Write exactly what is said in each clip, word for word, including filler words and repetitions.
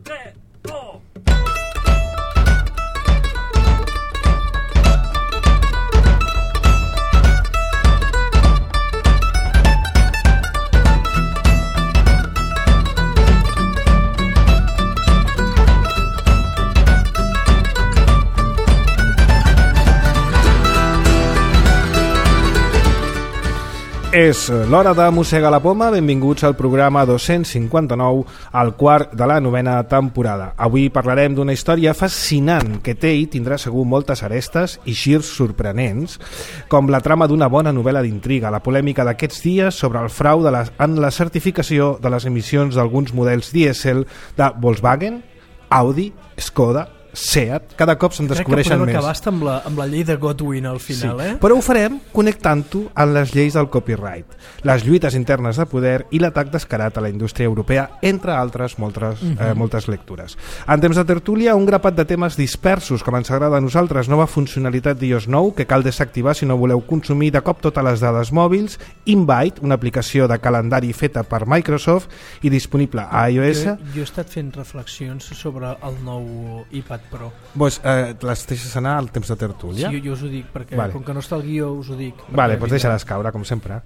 tres, dos... És l'hora de Mossega la Poma. Benvinguts al programa dos-cents cinquanta-nou, al quart de la novena temporada. Avui parlarem d'una història fascinant que té i tindrà segur moltes arestes i girs sorprenents, com la trama d'una bona novel·la d'intriga, la polèmica d'aquests dies sobre el frau de la, en la certificació de les emissions d'alguns models dièsel de Volkswagen, Audi, Skoda, Seat. Cada cop se'n descobreixen més. Crec que podem acabar amb la, amb la llei de Godwin al final, sí. eh? Però ho farem connectant-ho amb les lleis del copyright, les lluites internes de poder i l'atac descarat a la indústria europea, entre altres moltes, uh-huh. eh, moltes lectures. En temps de tertúlia, un grapat de temes dispersos, com ens agrada a nosaltres, nova funcionalitat d'iOS nou que cal desactivar si no voleu consumir de cop totes les dades mòbils, Invite, una aplicació de calendari feta per Microsoft i disponible a iOS. Jo, jo he estat fent reflexions sobre el nou iPad Pro. Pues, eh, les deixes anar al temps de tertúlia? Sí, jo, jo us ho dic, perquè vale. Com que no està el guió us ho dic. Vale, doncs deixaràs caure, com sempre.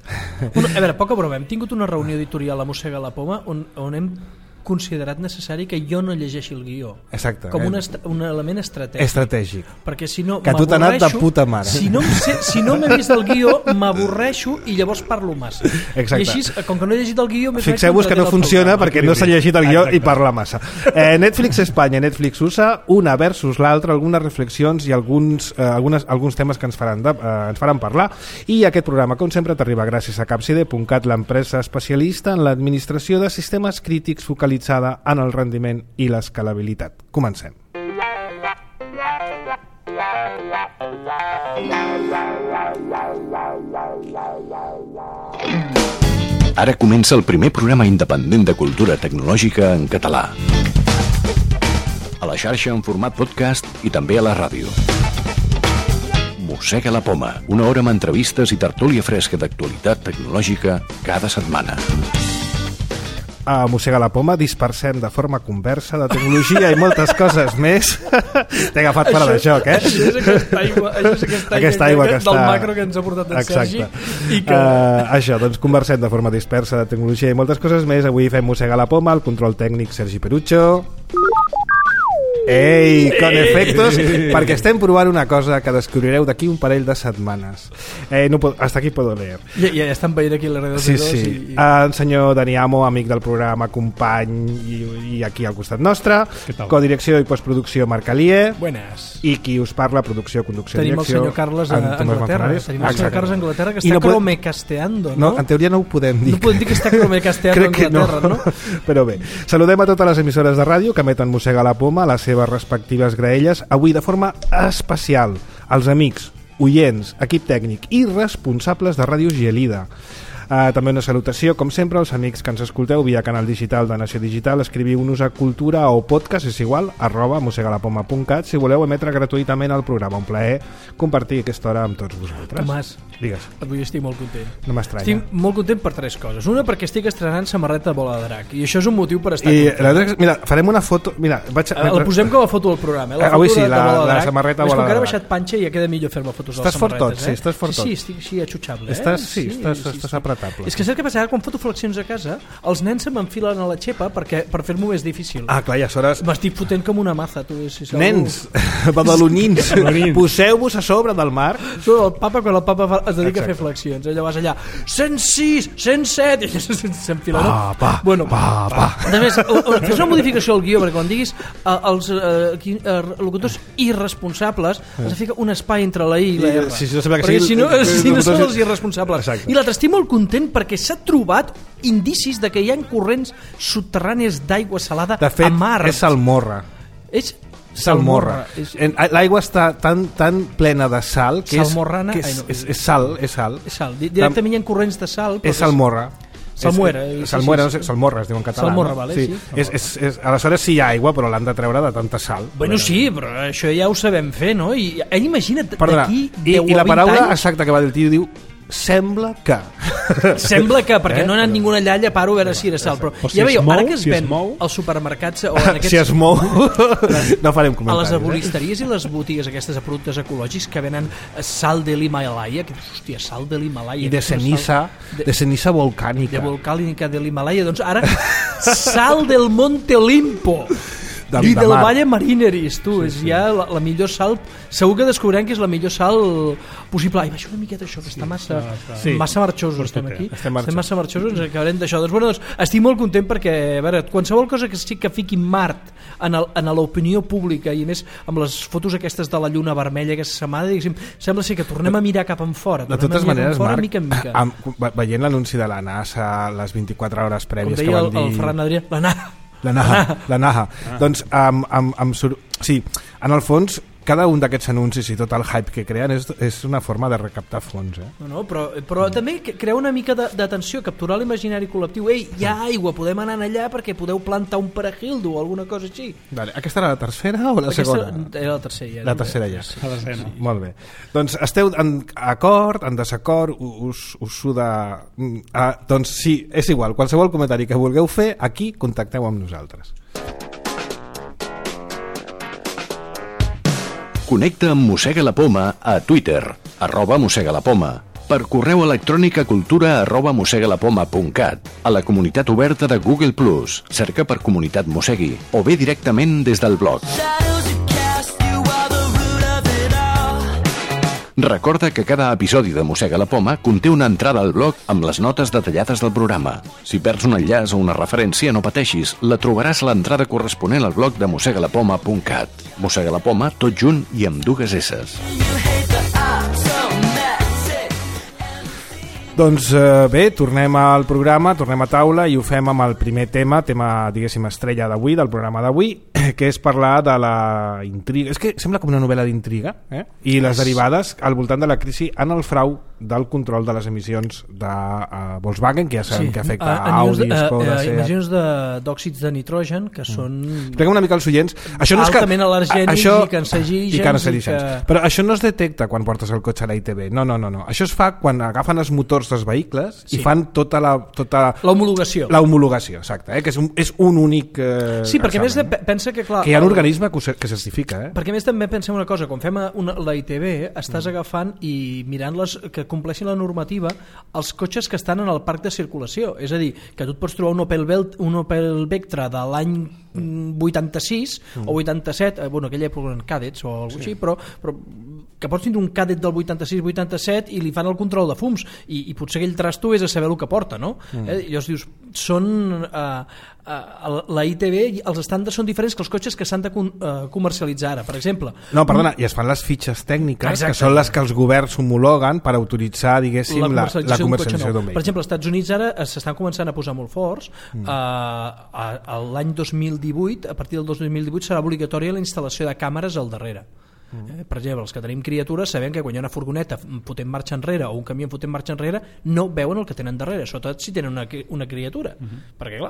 Una, a veure, poca broma, hem tingut una reunió editorial a Mossega la Poma on, on hem considerat necessari que jo no llegeixi el guió. Exacte. Com un, un element estratègic. Estratègic. Perquè si no que tu t'ha anat de puta mare. Si no, sé, si no m'he vist el guió, m'avorreixo i llavors parlo massa. Exacte. I així, com que no he llegit el guió... Fixeu-vos que no funciona perquè no s'ha llegit el guió i parla massa. Eh, Netflix Espanya i Netflix U S A, una versus l'altra, algunes reflexions i alguns, eh, algunes, alguns temes que ens faran, de, eh, ens faran parlar. I aquest programa, com sempre, t'arriba gràcies a Capside punt cat, l'empresa especialista en l'administració de sistemes crítics focalitzada en el rendiment i l'escalabilitat. Comencem. Ara comença el primer programa independent de cultura tecnològica en català. A la xarxa en format podcast i també a la ràdio. Mossega la Poma, una hora amb entrevistes i tertúlia fresca d'actualitat tecnològica cada setmana. A Mossega la Poma dispersem de forma conversa de tecnologia i moltes coses més. T'he agafat fora de joc, eh? Això és aquesta aigua, això és aquesta aigua, aquesta aigua que, que del està... macro que ens ha portat en Exacte. Sergi. I que... uh, això, doncs conversem de forma dispersa de tecnologia i moltes coses més. Avui fem Mossega la Poma, el control tècnic Sergi Perucho. Ei, con efectos, perquè estem provant una cosa que descobrireu d'aquí un parell de setmanes. Eh, no puedo, hasta aquí puedo leer. Ja, ja estan veient aquí les redes sí, de dos. Sí, sí. I... El senyor Dani Amo, amic del programa, company i, i aquí al costat nostre. Codirecció i postproducció Marc Alier. Buenas. I qui us parla, producció, conducció, tenim direcció. Tenim el senyor Carles a Anglaterra. Tenim el senyor Carles a Anglaterra que està no cromecasteando, no? No, en teoria no ho podem dir. No podem dir que està cromecasteando a Anglaterra, no. no? Però bé, saludem a totes les emissores de ràdio que emeten Mossega la Poma a les seves respectives graelles, avui de forma especial als amics, oients, equip tècnic i responsables de Ràdio Gelida. Uh, també una salutació, com sempre, als amics que ens escolteu via canal digital de Nació Digital. Escriviu-nos a cultura o podcast, és igual, arroba mossegalapoma punt cat, si voleu emetre gratuïtament el programa. Un plaer compartir aquesta hora amb tots vosaltres. Tomàs, digues. Avui estic molt content. No m'estranya. Estic molt content per tres coses. Una, perquè estic estrenant samarreta de bola de drac, i això és un motiu per estar I content. Mira, farem una foto... Mira, vaig a... La posem com a foto del programa, eh? La Avui foto sí, de, la, de bola de la drac. samarreta bola de drac. bola de Ara he drac. baixat panxa i ja queda millor fer-me fotos de les estàs samarretes. Estàs fort tot, sí, estàs fort tot. Sí, sí, estic, sí, atxutxable. Estàs, eh? sí, sí, estàs, sí, estàs apretable. És que saps què passa? Quan foto flexions a casa, els nens se m'enfilen a la xepa perquè, per fer-m'ho més difícil. Ah, clar, ja hores... M'estic fotent com una maza, tu. Si nens, badalonins, poseu-vos a sobre del mar. Sobre el papa, quan el papa fa, es dedica Exacte. a fer flexions. Ella vas allà, cent sis, cent set, i s'enfila. Pa, pa, bueno, pa, pa. A més, fes una modificació al guió, perquè quan diguis uh, els uh, uh, locutors irresponsables, has de ficar un espai entre la I i la R. Sí, sí, no perquè perquè si, si no, si no són els irresponsables. Exacte. I l'altre, estic molt content perquè s'ha trobat indicis de que hi ha corrents subterrànies d'aigua salada de fet, a Mart. és salmorra. És salmorra. És... L'aigua està tan, tan plena de sal que, és, que és, Ai, no. és, és sal, és sal. És sal. Directament hi ha corrents de sal. És salmorra. Salmuera. És, sí, salmuera, sí, sí. no sé, salmorra es diu en català. Salmorra, no? vale, sí. sí. És, és, és, aleshores sí hi ha aigua, però l'han de treure de tanta sal. Bueno, sí, però això ja ho sabem fer, no? I, imagina't, Perdona, d'aquí i, deu i la o vint paraula anys... exacta que va dir el tio diu sembla que... Sembla que, perquè eh? no ha anat ningú allà a paro a veure si era sal, però, però si ja es veieu, mou, ara que es si es ven mou... als supermercats o en aquests... Si es mou, no farem comentaris. A les eh? arboristeries i les botigues aquestes de productes ecològics que venen sal de l'Himalaya, que dius, hòstia, sal de l'Himalaya. I de ceniza, de, de ceniza volcànica. De volcànica de l'Himalaya, doncs ara sal del Monte Olimpo. De, I de del mar. Valle Marineris, tu, sí, és sí. ja la, la millor sal, segur que descobrirem que és la millor sal possible. Ai, baixa una miqueta això, que sí, està massa, sí. massa marxosos, estem aquí. Estem, estem massa marxosos, ens acabarem d'això. Doncs, bueno, doncs, estic molt content perquè, a veure, qualsevol cosa que sí que fiqui Mart en, el, en l'opinió pública, i a més amb les fotos aquestes de la lluna vermella aquesta setmana, diguéssim, sembla ser que tornem a mirar cap en fora. De totes maneres, fora, Marc, mica en mica. amb, veient l'anunci de la NASA, les vint-i-quatre hores prèvies com que deia van el, dir... el Ferran Adrià, la NASA. La Naha, la Naha. Ah. Doncs, amb, amb, amb sur... sí, en el fons, cada un d'aquests anuncis i tot el hype que creen és, és una forma de recaptar fons. Eh? No, no, però, però també crea una mica d'atenció, capturar l'imaginari col·lectiu. Ei, hi ha aigua, podem anar allà perquè podeu plantar un perejildo o alguna cosa així. Vale. Aquesta era la tercera o la Aquesta segona? Era la tercera. Ja, la tercera ja. La tercera. Sí, molt bé. Doncs esteu en acord, en desacord, us, us suda... Ah, doncs sí, és igual. Qualsevol comentari que vulgueu fer, aquí contacteu amb nosaltres. Connecta amb Mossega la Poma a Twitter, arroba Mossega la Poma, per correu electrònic a cultura arroba mossegalapoma punt cat, a la comunitat oberta de Google plus, cerca per Comunitat Mossegui, o bé directament des del blog. Recorda que cada episodi de Mossega la Poma conté una entrada al blog amb les notes detallades del programa. Si perds un enllaç o una referència, no pateixis, la trobaràs a l'entrada corresponent al blog de mossegalapoma punt cat. Mossega la Poma, tot junt i amb dues esses. Doncs eh, bé, tornem al programa, tornem a taula i ho fem amb el primer tema, tema, diguéssim, estrella d'avui, del programa d'avui, que és parlar de la intriga. És que sembla com una novel·la d'intriga, eh? I les derivades al voltant de la crisi en el frau del control de les emissions de uh, Volkswagen, que ja sabem sí. que afecta a, a Audi, Skoda, uh, Seat... Emissions d'òxids de, de nitrogen, que mm. són... Expliquem una mica als oients. Això no és que, altament al·lergènics això, i cancerígens. I cancerígens. Que... Però això no es detecta quan portes el cotxe a la I T V. No, no, no, no. Això es fa quan agafen els motors dels vehicles sí. i fan tota la... Tota l'homologació. L'homologació, exacte. Eh? Que és un, és un únic... Eh, sí, perquè a més de, pensa que... Clar, que hi ha un el... organisme que, que certifica. Eh? Perquè a més també pensem una cosa, quan fem una, la I T V estàs mm. agafant i mirant les, que compleixin la normativa els cotxes que estan en el parc de circulació. És a dir, que tu et pots trobar un Opel, Belt, un Opel Vectra de l'any vuitanta-sis mm. o vuitanta-set, eh, bueno, aquella època eren Cadets o alguna cosa sí. així, però, però que pots tindre un Cadet del vuitanta-sis vuitanta-set i li fan el control de fums i, i potser aquell trasto és a saber el que porta, no? Mm. Eh? I llavors dius, són eh, eh, la I T V, els estàndards són diferents que els cotxes que s'han de con, eh, comercialitzar ara, per exemple. No, perdona, i es fan les fitxes tècniques, exacte, que són les que els governs homologuen per autoritzar, diguéssim, la comercialització, la, la comercialització d'un vehicle. Per exemple, als Estats Units ara s'estan començant a posar molt forts. Mm. Eh, l'any dos mil divuit, a partir del dos mil divuit serà obligatòria la instal·lació de càmeres al darrere. Mm. Eh, per exemple, els que tenim criatures sabem que quan hi ha una furgoneta fotent marxa enrere o un camió fotent marxa enrere no veuen el que tenen darrere, sobretot si tenen una, una criatura, mm-hmm. perquè clar,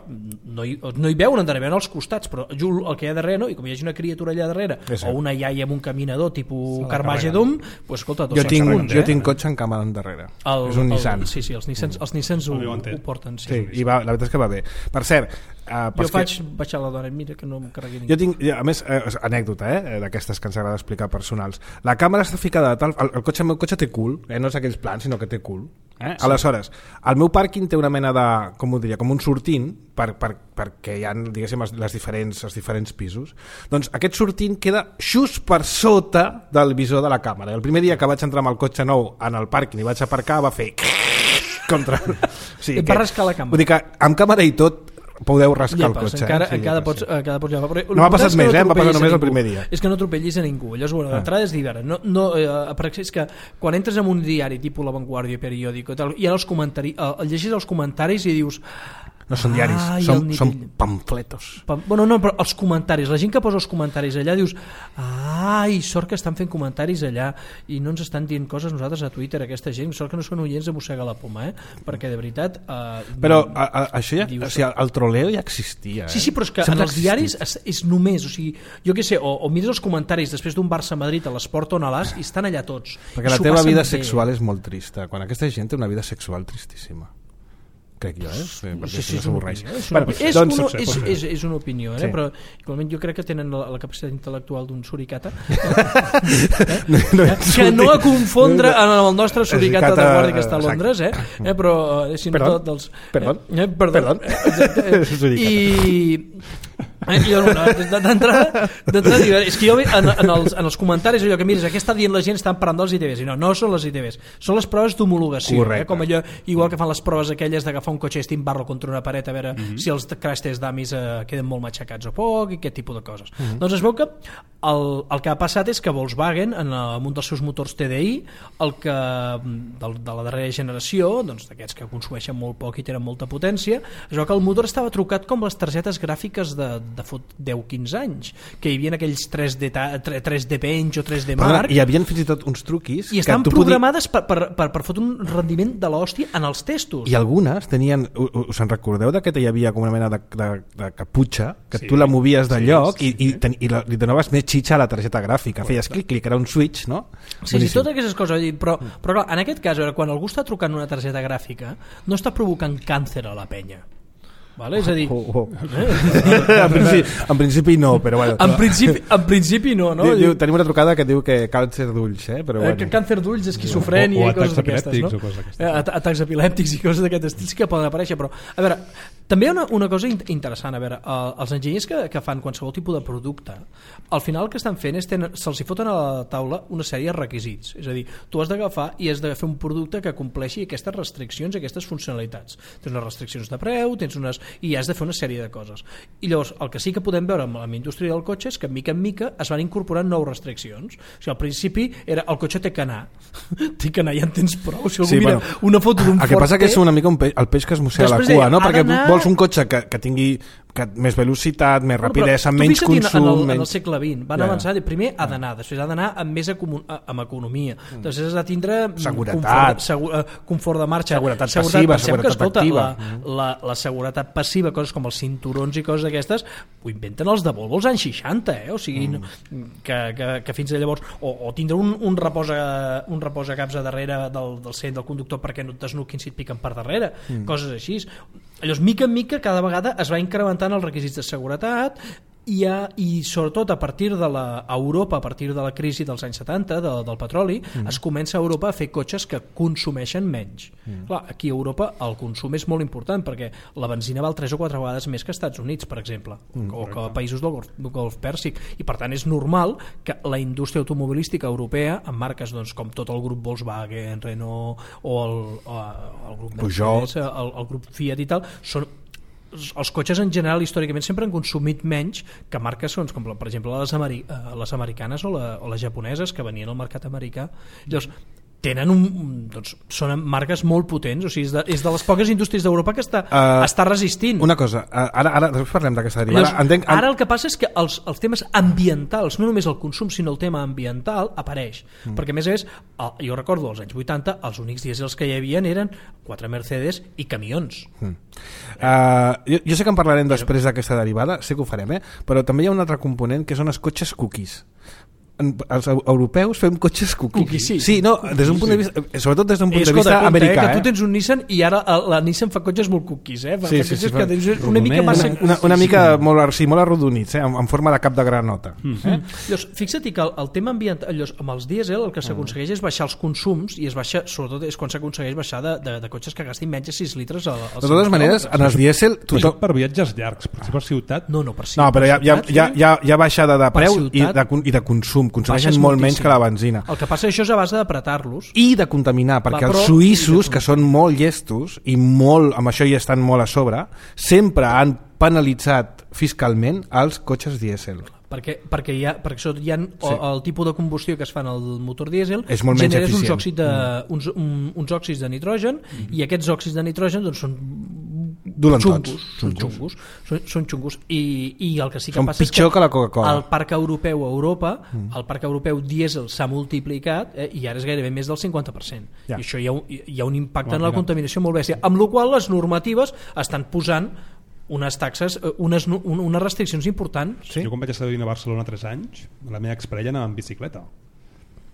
no hi, no hi veuen endarrere, veuen als costats, però el que hi ha darrere no, i com hi hagi una criatura allà darrere sí. o una iaia amb un caminador tipus Carmageddon, pues, escolta, jo, tinc, segons, jo eh? tinc cotxe amb càmera endarrere, el, és un el, Nissan. Sí, sí, els Nissans, els Nissans ho, ho porten. Sí, sí, i va, la veritat és que va bé. Per cert, Uh, jo faig que... baixar la dona, mira que no em carregui ningú. Jo tinc, a més, eh, anècdota, eh, d'aquestes que ens agrada explicar personals. La càmera està ficada de tal... El, el, cotxe, el meu cotxe té cul, eh, no és aquells plans, sinó que té cul. Eh? Sí. Aleshores, el meu pàrquing té una mena de... Com ho diria? Com un sortint per, per, perquè hi ha, diguéssim, les diferents, els diferents pisos. Doncs aquest sortint queda just per sota del visor de la càmera. El primer dia que vaig entrar amb el cotxe nou en el pàrquing i vaig aparcar va fer... contra... O sigui, et va rascar la càmera. Vull dir que amb càmera i tot podeu rascar ja, el cotxe. Encara, eh? sí, encara, ja pots, encara pots llevar. No m'ha passat més, no eh? M'ha passat només el primer dia. És que no atropellis a ningú. Llavors, bueno, l'entrada és d'hivern. No, no, eh, és que quan entres en un diari tipus La Vanguardia, Periòdico, i tal, hi ha els comentaris, eh, llegis els comentaris i dius No són diaris, Ai, són, el són nivell. pamfletos. Pam- Bueno, no, però els comentaris, la gent que posa els comentaris allà dius, ai, sort que estan fent comentaris allà i no ens estan dient coses nosaltres a Twitter, aquesta gent, sort que no són oients de Mossega la Poma, eh? Perquè de veritat... Eh, Però a, a, això ja, dius- o sigui, el troleo ja existia. Eh? Sí, sí, però és que Sempre en els ha diaris existit. és, és només, o sigui, jo què sé, o, o mires els comentaris després d'un Barça-Madrid a l'Esport o a l'As i estan allà tots. Perquè I la s'ho teva passen vida bé. sexual és molt trista. Quan aquesta gent té una vida sexual tristíssima. Crec jo, eh? Sí, perquè Sí, si sí, no és, una s'avorreix. opinió, és, una, Bueno, és, doncs, una, pot ser, és, pot ser. és, és una opinió, eh? Sí. Però igualment jo crec que tenen la, la capacitat intel·lectual d'un suricata no, no que no a confondre amb el nostre suricata de Suricata, guàrdia que està a Londres, eh? eh però eh, sinó Perdó? tot dels... Perdó? Eh, perdó. Perdó? Exacte, eh, Suricata. I... Eh, jo, no, d'entrada d'entrada dic, és que jo en, en, els, en els comentaris allò que mires, què està dient la gent, estan parlant dels I T Bs i no, no són les I T Bs, són les proves d'homologació, eh? Com allò, igual que fan les proves aquelles d'agafar un cotxe i estimbar-lo contra una paret a veure mm -hmm. si els crash test dummies eh, queden molt matxacats o poc i aquest tipus de coses. Mm -hmm. Doncs es veu que el, el que ha passat és que Volkswagen en, en un dels seus motors T D I el que de, de la darrera generació, doncs d'aquests que consumeixen molt poc i tenen molta potència, es veu que el motor estava trucat com les targetes gràfiques de, de fot deu quinze anys, que hi havia aquells tres D, tres D Bench o tres D Mark, hi havia fins i tot uns truquis i estan que tu programades podi... per, per, per, per fotre un rendiment de l'hòstia en els testos. I algunes tenien, us en recordeu de que hi havia com una mena de, de, de caputxa que Sí. tu la movies de Sí, lloc sí, i, i, ten, i la, li donaves més xitxa a la targeta gràfica, feies clic, clic, era un switch, no? Sí, sí, totes aquestes coses, però, però clar, en aquest cas, a veure, quan algú està trucant una targeta gràfica no està provocant càncer a la penya, vale? És a dir, Oh, oh. en, principi, en principi no, però bueno. en principi, en principi no, no? Diu, diu, tenim una trucada que diu que càncer d'ulls, eh? Però Eh, bueno. que càncer d'ulls, esquizofrènia O- o i coses atacs d'aquestes, no? epilèptics o coses d'aquestes. Eh, at- atacs epilèptics i coses d'aquest estil sí que poden aparèixer, però a veure, també hi ha una, una cosa in interessant, a veure, eh, els enginyers que, que fan qualsevol tipus de producte, al final el que estan fent és tenen, se'ls hi foten a la taula una sèrie de requisits, és a dir, tu has d'agafar i has de fer un producte que compleixi aquestes restriccions, aquestes funcionalitats. Tens unes restriccions de preu, tens unes i has de fer una sèrie de coses. I llavors, el que sí que podem veure amb la indústria del cotxe és que, mica en mica, es van incorporant nous restriccions. O sigui, al principi era el cotxe té que anar. té que anar, ja en tens prou. Si algú Sí, mira bueno, una foto d'un el que Ford passa que T, és una mica un peix, el peix que es mossega la Després cua, deia, no? ha Perquè d'anar- vols un cotxe que, que tingui que, més velocitat, més Bueno, però rapidesa, tu menys fixa't en- consum... en el, en el menys... segle vint van Ja. avançar, primer ha d'anar, després ha d'anar amb més econo- amb economia, Mm. després has de tindre mm, Seguretat. confort, segu, eh, confort de marxa, Seguretat passiva, pensem seguretat que, escolta, activa. la, la, la seguretat passiva, coses com els cinturons i coses d'aquestes ho inventen els de Volvo als anys seixanta, eh? O sigui, Mm. no, que, que, que fins a llavors o, o tindre un, un reposa un reposa caps a darrere del, del cent del conductor perquè no et desnuquin si et piquen per darrere, mm. coses així. Llavors, mica en mica, cada vegada es va incrementant els requisits de seguretat i, ha, i sobretot a partir de la a Europa, a partir de la crisi dels anys setanta de, del petroli, mm. es comença a Europa a fer cotxes que consumeixen menys. Mm. Clar, aquí a Europa el consum és molt important perquè la benzina val tres o quatre vegades més que als Estats Units, per exemple, mm, o que a països del Golf, del Golf Pèrsic, i per tant és normal que la indústria automobilística europea, amb marques doncs, com tot el grup Volkswagen, Renault o el, o el grup Peugeot, Mercedes, el, el grup Fiat i tal, són els cotxes en general històricament sempre han consumit menys que marques doncs, com per exemple les, ameri les americanes o, la, o les japoneses que venien al mercat americà. Llavors tenen un, doncs, són marques molt potents, o sigui, és de, és de les poques indústries d'Europa que està, uh, està resistint. Una cosa, ara, ara després parlem d'aquesta derivada. Llavors, Entenc, en... Ara el que passa és que els, els temes ambientals, no només el consum sinó el tema ambiental, apareix, mm. perquè a més a més, el, jo recordo als anys vuitanta els únics dièsels que hi havia eren quatre Mercedes i camions. Mm. Uh, jo, jo sé que en parlarem després d'aquesta derivada, sé que ho farem, eh? Però també hi ha un altre component que són els cotxes cookies. Els europeus fem cotxes cookies. Cookies, sí. Sí, no, des d'un punt de vista, sobretot des d'un punt Eh, de escolta, vista compte, americà, eh, que eh? tu tens un Nissan i ara la Nissan fa cotxes molt cookies, eh? Fa Sí, sí, cotxes sí, que fa- tens una mica massa... Una, una mica molt, sí, molt arrodonits, eh? en, en forma de cap de granota. Mm. Eh? Llavors, fixa't que el, el tema ambiental, llavors, amb els dièsel el que s'aconsegueix és baixar els consums i es baixa, sobretot és quan s'aconsegueix baixar de, de, de cotxes que gastin menys de sis litres al, al De totes maneres, en els dièsel... Però Tothom... per viatges llargs, per per ciutat... No, no, per si, No, però hi ha, hi ha, ciutat, hi ha, hi ha, hi ha baixada de Per preu i ciutat, de, i de consum. Consumeixen baixes molt moltíssim. menys que la benzina. El que passa això és a base d'apretar-los. I de contaminar, perquè Clar, però- els suïssos, que són molt llestos i molt, amb això hi estan molt a sobre, sempre han penalitzat fiscalment els cotxes dièsel. Perquè, perquè, hi ha, perquè sota hi ha sí. el, el tipus de combustió que es fan al motor dièsel És molt menys generes uns, eficient. òxids de, mm. uns, un, uns òxids de nitrogen mm. i aquests òxids de nitrogen doncs, són Duren xungos, tots. són xungos, són, són xungos. I, i el que sí que són passa és pitjor que, que la Coca-Cola. el parc europeu a Europa, mm. el parc europeu dièsel s'ha multiplicat eh, i ara és gairebé més del cinquanta per cent. Ja. I això hi ha un, hi ha un impacte Bueno, en la mira. contaminació molt bèstia, amb la qual les normatives estan posant unes taxes, unes, unes restriccions importants. Sí? Jo quan vaig estar vivint a Barcelona tres anys, la meva exparella anava en bicicleta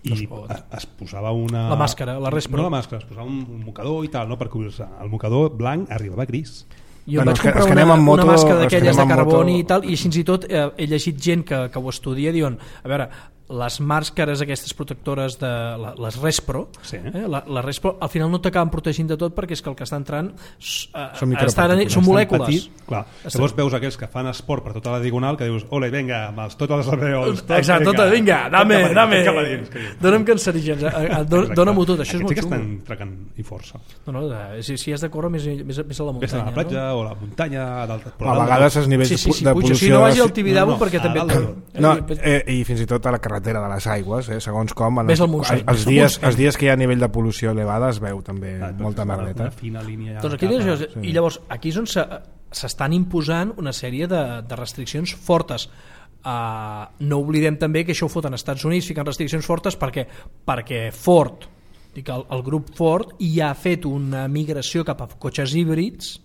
i No es pot. es, es posava una... La màscara, la Respro. No la màscara, es posava un, un mocador i tal, no per cobrir-se. El mocador blanc arribava gris. Jo Bueno, vaig és que- comprar és que una, anem amb moto- una màscara és que d'aquelles anem de amb carboni moto- i tal, i fins i tot eh, he llegit gent que, que ho estudia, diuen, a veure, les màscares aquestes protectores de la, les Respro, Sí. eh, la, la Respro al final no t'acaben protegint de tot perquè és que el que està entrant s- eh, Són estan, micropartícules, són Tan molècules. Petit, clar. Llavors veus aquells que fan esport per tota la diagonal que dius, ole, vinga, amb els, tots els alveols, tot, Exacte, tot, vinga, dame, tot cap a dins, dame, tot cap a dins, que dius. dona'm cancerígens, eh, eh, don- Exacte. dona-m'ho tot, això és Aquests molt sí que xungo. estan tracant i força. No, no, eh, si, si has de córrer més, més, més a la Ves muntanya. a la platja o a la muntanya, d'alta, A vegades els no? nivells Sí, sí, sí, de puja, pol·lució... si no vagi al sí. Tibidabo No, no, perquè a també... dalt de tot. No, eh, i fins i tot a la carretera de les aigües, eh, segons com en Ves els, al Montseny, els, ves al dies, Montseny. els dies que hi ha nivell de pol·lució elevada es veu també Ah, molta una- merleta. Una fina línia... Doncs aquí cap a- tens això, i llavors aquí és on se- s'estan imposant una sèrie de, de restriccions fortes. Uh, no oblidem també que això ho foten als Estats Units, fiquen restriccions fortes perquè, perquè Ford, dic, el, el grup Ford ja ha fet una migració cap a cotxes híbrids.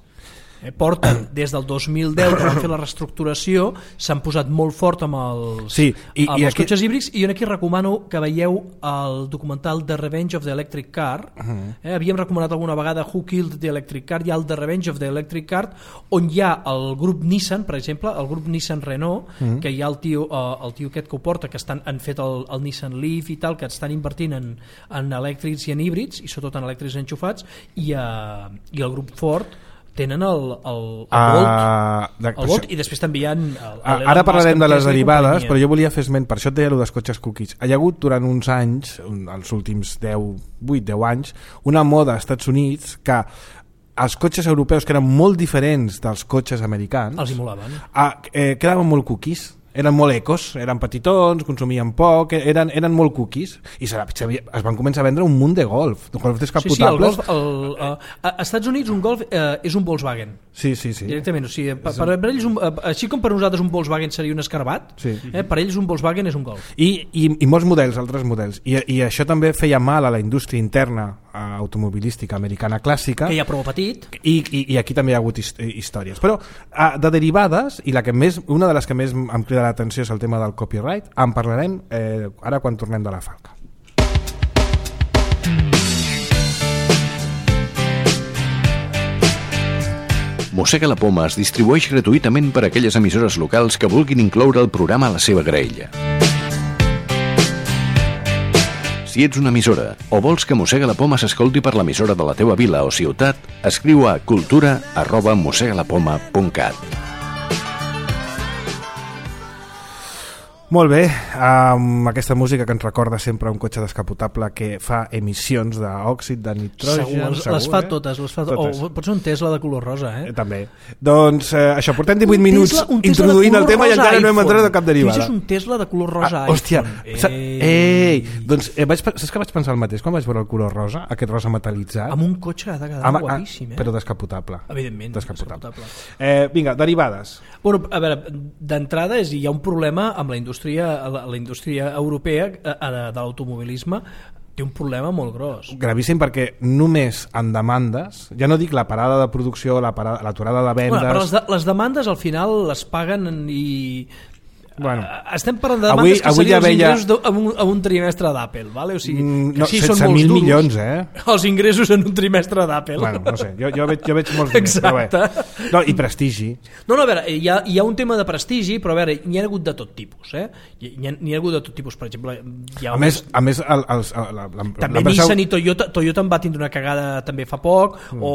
Eh, porten des del dos mil deu que van fer la reestructuració, s'han posat molt fort amb els, Sí, i- amb i els aquí- cotxes híbrids, i jo aquí recomano que veieu el documental The Revenge of the Electric Car. Uh-huh. eh, havíem recomanat alguna vegada Who Killed the Electric Car, hi ha el The Revenge of the Electric Car, on hi ha el grup Nissan, per exemple, el grup Nissan Renault, Uh-huh. que hi ha el tio, eh, el tio aquest que ho porta, que estan, han fet el, el Nissan Leaf i tal, que estan invertint en, en elèctrics i en híbrids, i sobretot en elèctrics enxufats, i, eh, i el grup Ford tenen el, el, el Volt, Ah, de- el Volt, i després també hi ha el, Ah, el ara Elon parlarem Musk de amb les Tesla i derivades, companyia. però jo volia fer esment, per això et deia allò dels cotxes cookies. Hi ha hagut durant uns anys, un- els últims deu, vuit deu anys, una moda als Estats Units que els cotxes europeus, que eren molt diferents dels cotxes americans, Els imolaven. ah, eh, quedaven molt cookies, eren molt ecos, eren petitons, consumien poc, eren, eren molt cookies, i se, se, es van començar a vendre un munt de golf, de golf Sí, sí, el descapotables. Golf, el, uh, a Estats Units un Golf eh, és un Volkswagen. Sí, sí, sí. Directament, o sigui, per, per, per ells un, eh, així com per nosaltres un Volkswagen seria un escarbat, Sí. eh, per ells un Volkswagen és un Golf. I, i, i molts models, altres models, I, i això també feia mal a la indústria interna eh, automobilística americana clàssica, Que hi ha prou petit. i, i, i aquí també hi ha hagut his, històries, però eh, de derivades, i la que més, una de les que més em crida l'atenció és el tema del copyright, en parlarem eh, ara quan tornem de la falca. Mossega la Poma es distribueix gratuïtament per a aquelles emissores locals que vulguin incloure el programa a la seva graella. Si ets una emissora o vols que Mossega la Poma s'escolti per l'emissora de la teua vila o ciutat, escriu a cultura arroba mossegalapoma punt cat. Molt bé, amb aquesta música que ens recorda sempre un cotxe descapotable que fa emissions d'òxid de nitrogen. Segur, les, segur, les fa eh? totes, les fa Totes. O pot ser un Tesla de color rosa, eh? Eh, també. Doncs eh, això, portem divuit Un minuts Tesla- un Tesla de introduint el color tema i rosa encara no hem iPhone. entrat a cap derivada. Fixi's un Tesla de color rosa Ah, hòstia, iPhone. sa- ei, doncs eh, vaig, pe- saps que vaig pensar el mateix quan vaig veure el color rosa, aquest rosa metal·litzat? Amb un cotxe ha de quedar Amb- ah, guapíssim, eh? Però descapotable. Evidentment, Descapotable. descapotable. Eh, vinga, derivades. Bueno, a veure, d'entrada és, hi ha un problema amb la indústria, la, la indústria europea eh, de, de l'automobilisme, té un problema molt gros. Gravíssim perquè només en demandes, ja no dic la parada de producció, la parada- l'aturada de vendes... Bueno, però les, de, les demandes al final les paguen i... Bueno. Eh, estem parlant de Avui- demandes que avui serien ja els veia- ingressos de, en, un, en un trimestre d'Apple, vale? O sigui, Mm, que no, sí, són setze molts mil duros. milions, eh? Els ingressos en un trimestre d'Apple. Bueno, no sé, jo, jo, veig, jo veig molts diners, però bé. Exacte. No, i prestigi. No, no, a veure, hi ha, hi ha un tema de prestigi, però a veure, n'hi ha hagut de tot tipus, eh? N'hi ha, n'hi ha hagut de tot tipus, per exemple... Hi ha A més, a més el, els, la, la, també l'empresa- Nissan i Toyota, Toyota en va tindre una cagada també fa poc, mm. o,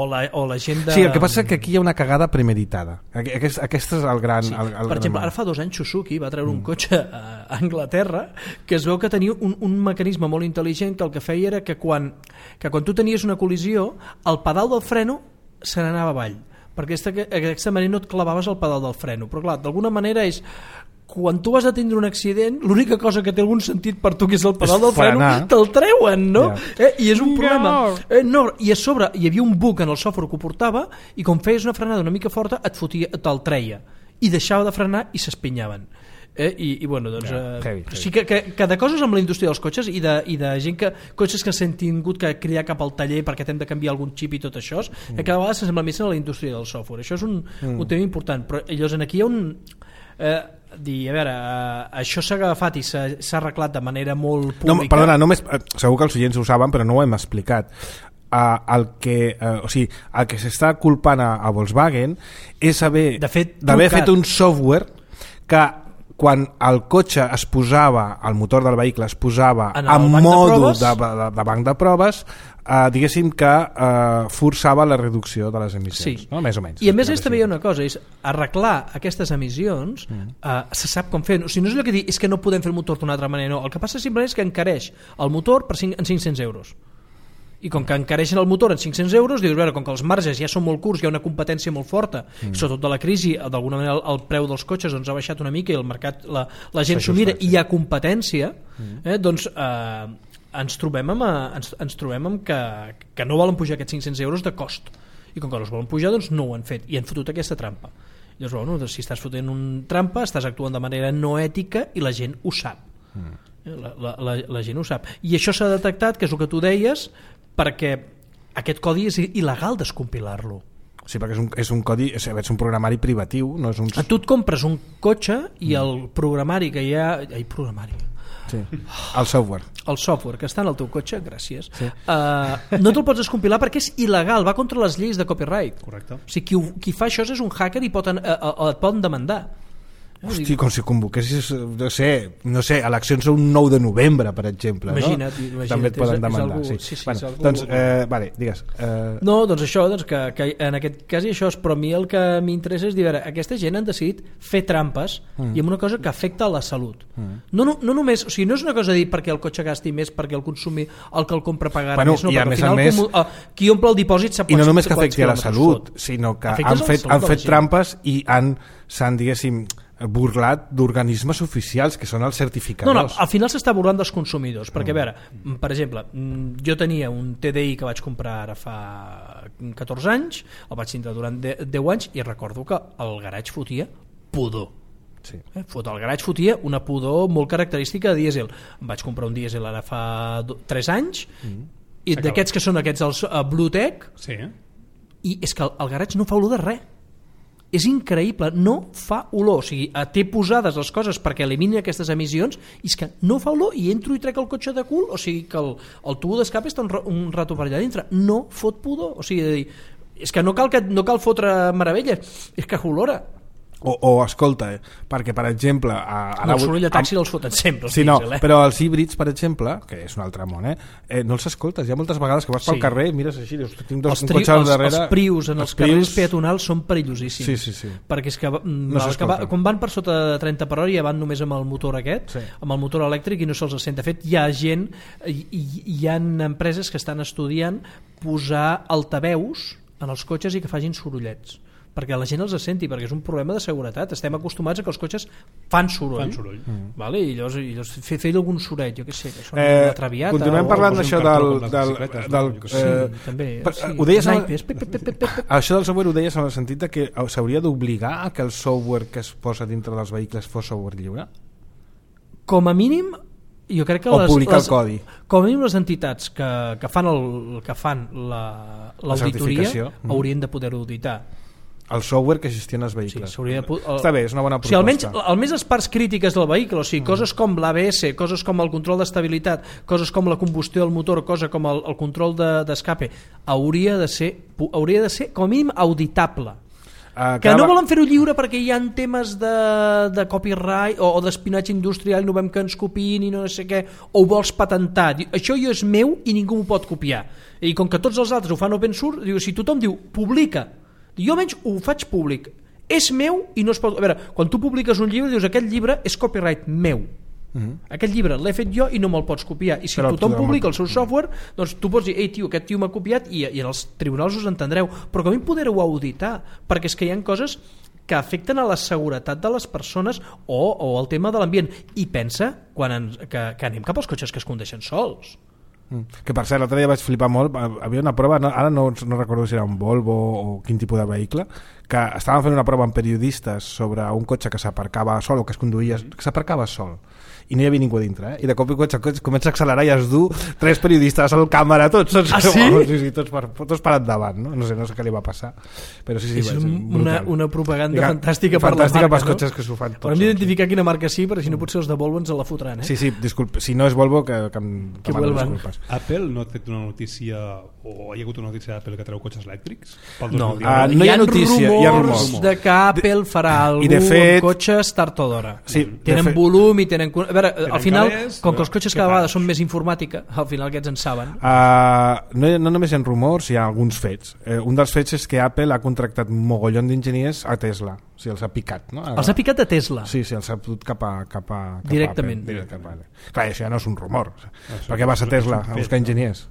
o, la, o la gent de... Sí, el que passa és que aquí hi ha una cagada premeditada. Aquest, aquest és el gran... Sí. El, el, Per exemple, ara fa dos anys Suzuki va treure un cotxe a Anglaterra que es veu que tenia un, un mecanisme molt intel·ligent que el que feia era que quan, que quan tu tenies una col·lisió, el pedal del freno se n'anava avall, perquè aquesta, aquesta manera no et clavaves el pedal del freno. Però clar, d'alguna manera és quan tu vas a tindre un accident, l'única cosa que té algun sentit per tu, que és el pedal del freno, frenar. te'l treuen, no? Yeah. Eh? I és un problema. Eh, no, I a sobre hi havia un bug en el software que ho portava, i com feies una frenada una mica forta, et fotia, te'l treia. I deixava de frenar i s'espinyaven. Eh? I, i bueno, doncs yeah, eh, heavy, heavy. sí que, que, que de coses amb la indústria dels cotxes i de, i de gent que, cotxes que s'han tingut que cridar cap al taller perquè hem de canviar algun xip i tot això, mm. que cada vegada s'assembla més a la indústria del software. Això és un, mm. un tema important, però llavors aquí hi ha un eh, dir, a veure, eh, això s'ha agafat i s'ha arreglat de manera molt pública. No, perdona, només, segur que els oients ho saben, però no ho hem explicat. Uh, el que, uh, o sigui, el que s'està culpant a, a Volkswagen és haver d'haver fet un software que quan el cotxe es posava, el motor del vehicle es posava en, en mòdul de, de, de, de banc de proves, eh, diguéssim que eh, forçava la reducció de les emissions, sí. no? Més o menys. I a més també hi ha una cosa, és arreglar aquestes emissions, mm. eh, se sap com fer, o sigui, no és allò que dir, és que no podem fer el motor d'una altra manera, no, el que passa simplement és que encareix el motor per cinc, en cinc-cents euros. I com que encareixen el motor en cinc-cents euros, dius, veure, com que els marges ja són molt curts, hi ha una competència molt forta, mm. i sobretot de la crisi, d'alguna manera el, el preu dels cotxes doncs, ha baixat una mica i el mercat, la, la gent s'ho mira i hi ha competència, mm. eh, doncs eh, ens trobem amb, ens, ens trobem amb que, que no volen pujar aquests cinc-cents euros de cost. I com que no els volen pujar, doncs no ho han fet i han fotut aquesta trampa. Llavors, bueno, doncs, si estàs fotent un trampa, estàs actuant de manera no ètica i la gent ho sap. Mm. La, la, la, la gent ho sap. I això s'ha detectat, que és el que tu deies, perquè aquest codi és il·legal descompilar-lo. Sí, perquè és un, és un codi, és un programari privatiu, no és un... A tu et compres un cotxe i el programari que hi ha... Ai, programari. Sí, el software. El software que està en el teu cotxe, gràcies. Sí. Uh, no te'l pots descompilar perquè és il·legal, va contra les lleis de copyright. Correcte. O sigui, qui, qui fa això és un hacker i pot, uh, uh, et poden demandar. Hosti, com si convoquessis, no sé, no sé, eleccions un nou de novembre, per exemple, imagina't, no? Imagina't, també et poden és, demandar. és algú, sí. sí, sí, bueno, algú... Doncs, eh, vale, digues. Eh... No, doncs això, doncs que, que en aquest cas i això és, però a mi el que m'interessa és dir, veure, aquesta gent han decidit fer trampes mm. i amb una cosa que afecta a la salut. Mm. No, no, no només, o sigui, no és una cosa de dir perquè el cotxe gasti més, perquè el consumir, el que el compra pagarà bueno, més, no, i a perquè més al final més, com, uh, qui omple el dipòsit sap i no només que quants afecti a la salut, fot. sinó que Afectes han fet, han fet gent. trampes i han, s'han, diguéssim, burlat d'organismes oficials que són els certificadors. No, no, al final s'està burlant dels consumidors, perquè a veure, per exemple, jo tenia un T D I que vaig comprar ara fa catorze anys, el vaig tindre durant deu anys i recordo que el garatge fotia pudor. Sí. Eh? Fot, el garatge fotia una pudor molt característica de dièsel. Em vaig comprar un dièsel ara fa tres anys mm. i d'aquests que són aquests els uh, Bluetech, sí. i és que el, el garatge no fa olor de res. És increïble, no fa olor, o sigui, té posades les coses perquè elimini aquestes emissions i és que no fa olor i entro i trec el cotxe de cul, o sigui que el, el tubo d'escape està un, un rato per allà dintre, no fot pudor, o sigui, és que no cal, que, no cal fotre meravelles, és que olora. O, o escolta, eh, perquè per exemple a, no, el soroll de taxi els foten sempre sí, no, diesel, eh? però els híbrids per exemple, que és un altre món, eh, eh, no els escoltes, hi ha moltes vegades que vas pel sí. carrer, mires així, dius, tinc dos, un cotxe al darrere, els prius en els, els carrers prius... peatonals són perillosíssims, sí, sí, sí. perquè és que, no val, que va, quan van per sota de trenta per hora ja van només amb el motor aquest, sí. amb el motor elèctric i no se'ls sent. De fet, hi ha gent hi, hi ha empreses que estan estudiant posar altaveus en els cotxes i que facin sorollets perquè la gent els senti, perquè és un problema de seguretat. Estem acostumats a que els cotxes fan soroll, fan soroll. Mm. Vale? I llavors, i llavors fer, fer algun soroll, jo què sé, que són eh, una traviata. Continuem parlant d'això del... del, del, del sí, eh, també. Per, sí. Ho deies Naipes, pe, pe, pe, pe, pe. Això del software ho deies en el sentit de que s'hauria d'obligar a que el software que es posa dintre dels vehicles fos software lliure? Com a mínim jo crec que o les, publicar les, el codi. Com a mínim les entitats que, que fan, el, que fan la, l'auditoria mm. haurien de poder auditar el software que gestiona els vehicles. Sí, de, el, està bé, és una bona proposta. O sigui, almenys, almenys les parts crítiques del vehicle, o sigui, mm. coses com l'A B S, coses com el control d'estabilitat, coses com la combustió del motor, cosa com el, el control d'escape, de, hauria de ser hauria de ser com a mínim auditable. Uh, que no volen fer-ho lliure perquè hi ha temes de, de copyright o, o d'espionatge industrial i no vam que ens copiïn i no sé què, o ho vols patentar. Això jo és meu i ningú m'ho pot copiar. I com que tots els altres ho fan open source, diu, si tothom diu publica, jo almenys ho faig públic, és meu i no es pot... A veure, quan tu publiques un llibre dius aquest llibre és copyright meu, mm-hmm. aquest llibre l'he fet jo i no me'l pots copiar, i si però tothom publica el seu software, doncs tu pots dir, ei tio, aquest tio m'ha copiat, i, i en els tribunals us entendreu, però com a mi poder-ho auditar, perquè és que hi ha coses que afecten a la seguretat de les persones o, o el tema de l'ambient. I pensa quan ens, que, que anem cap als cotxes que es condueixen sols. Que per cert, l'altre dia vaig flipar molt. Havia una prova, no, ara no, no recordo si era un Volvo o quin tipus de vehicle, que estaven fent una prova amb periodistes sobre un cotxe que s'aparcava sol o que es conduïa, que s'aparcava sol i no hi havia ningú a dintre, eh? I de cop i cotxe comença a accelerar i es du tres periodistes al càmera, tots, tots, ah, sí? sí, sí, tots, per, tots per endavant, no? No sé, no sé què li va passar, però sí, sí, és va ser una, una propaganda Diga, fantàstica, fantàstica per la marca, pels cotxes, no? Que s'ho fan tots. Haurem d'identificar quina marca sí, perquè si no potser els de Volvo ens la fotran, eh? Sí, sí, disculpa, si no és Volvo que, que em que demano disculpes. Apple no ha fet una notícia o hi ha hagut una notícia d'Apple que treu cotxes elèctrics? Pel No, uh, no hi ha notícia, rumors hi ha rumors de que Apple farà alguna de fet, amb cotxes tard o d'hora. Sí, tenen fet, volum i tenen... A veure, tenen al final, calés, com que els cotxes cada vegada fan? són més informàtica, al final aquests en saben. Uh, no, no només hi ha rumors, hi ha alguns fets. Uh, un dels fets és que Apple ha contractat un mogollon d'enginyers a Tesla. O sigui, els ha picat, no? Els ha picat a Tesla? Sí, sí, els ha dut cap a, cap a, cap Directament. A Apple. Directament. Clar, això ja no és un rumor. Per què vas a Tesla a buscar enginyers?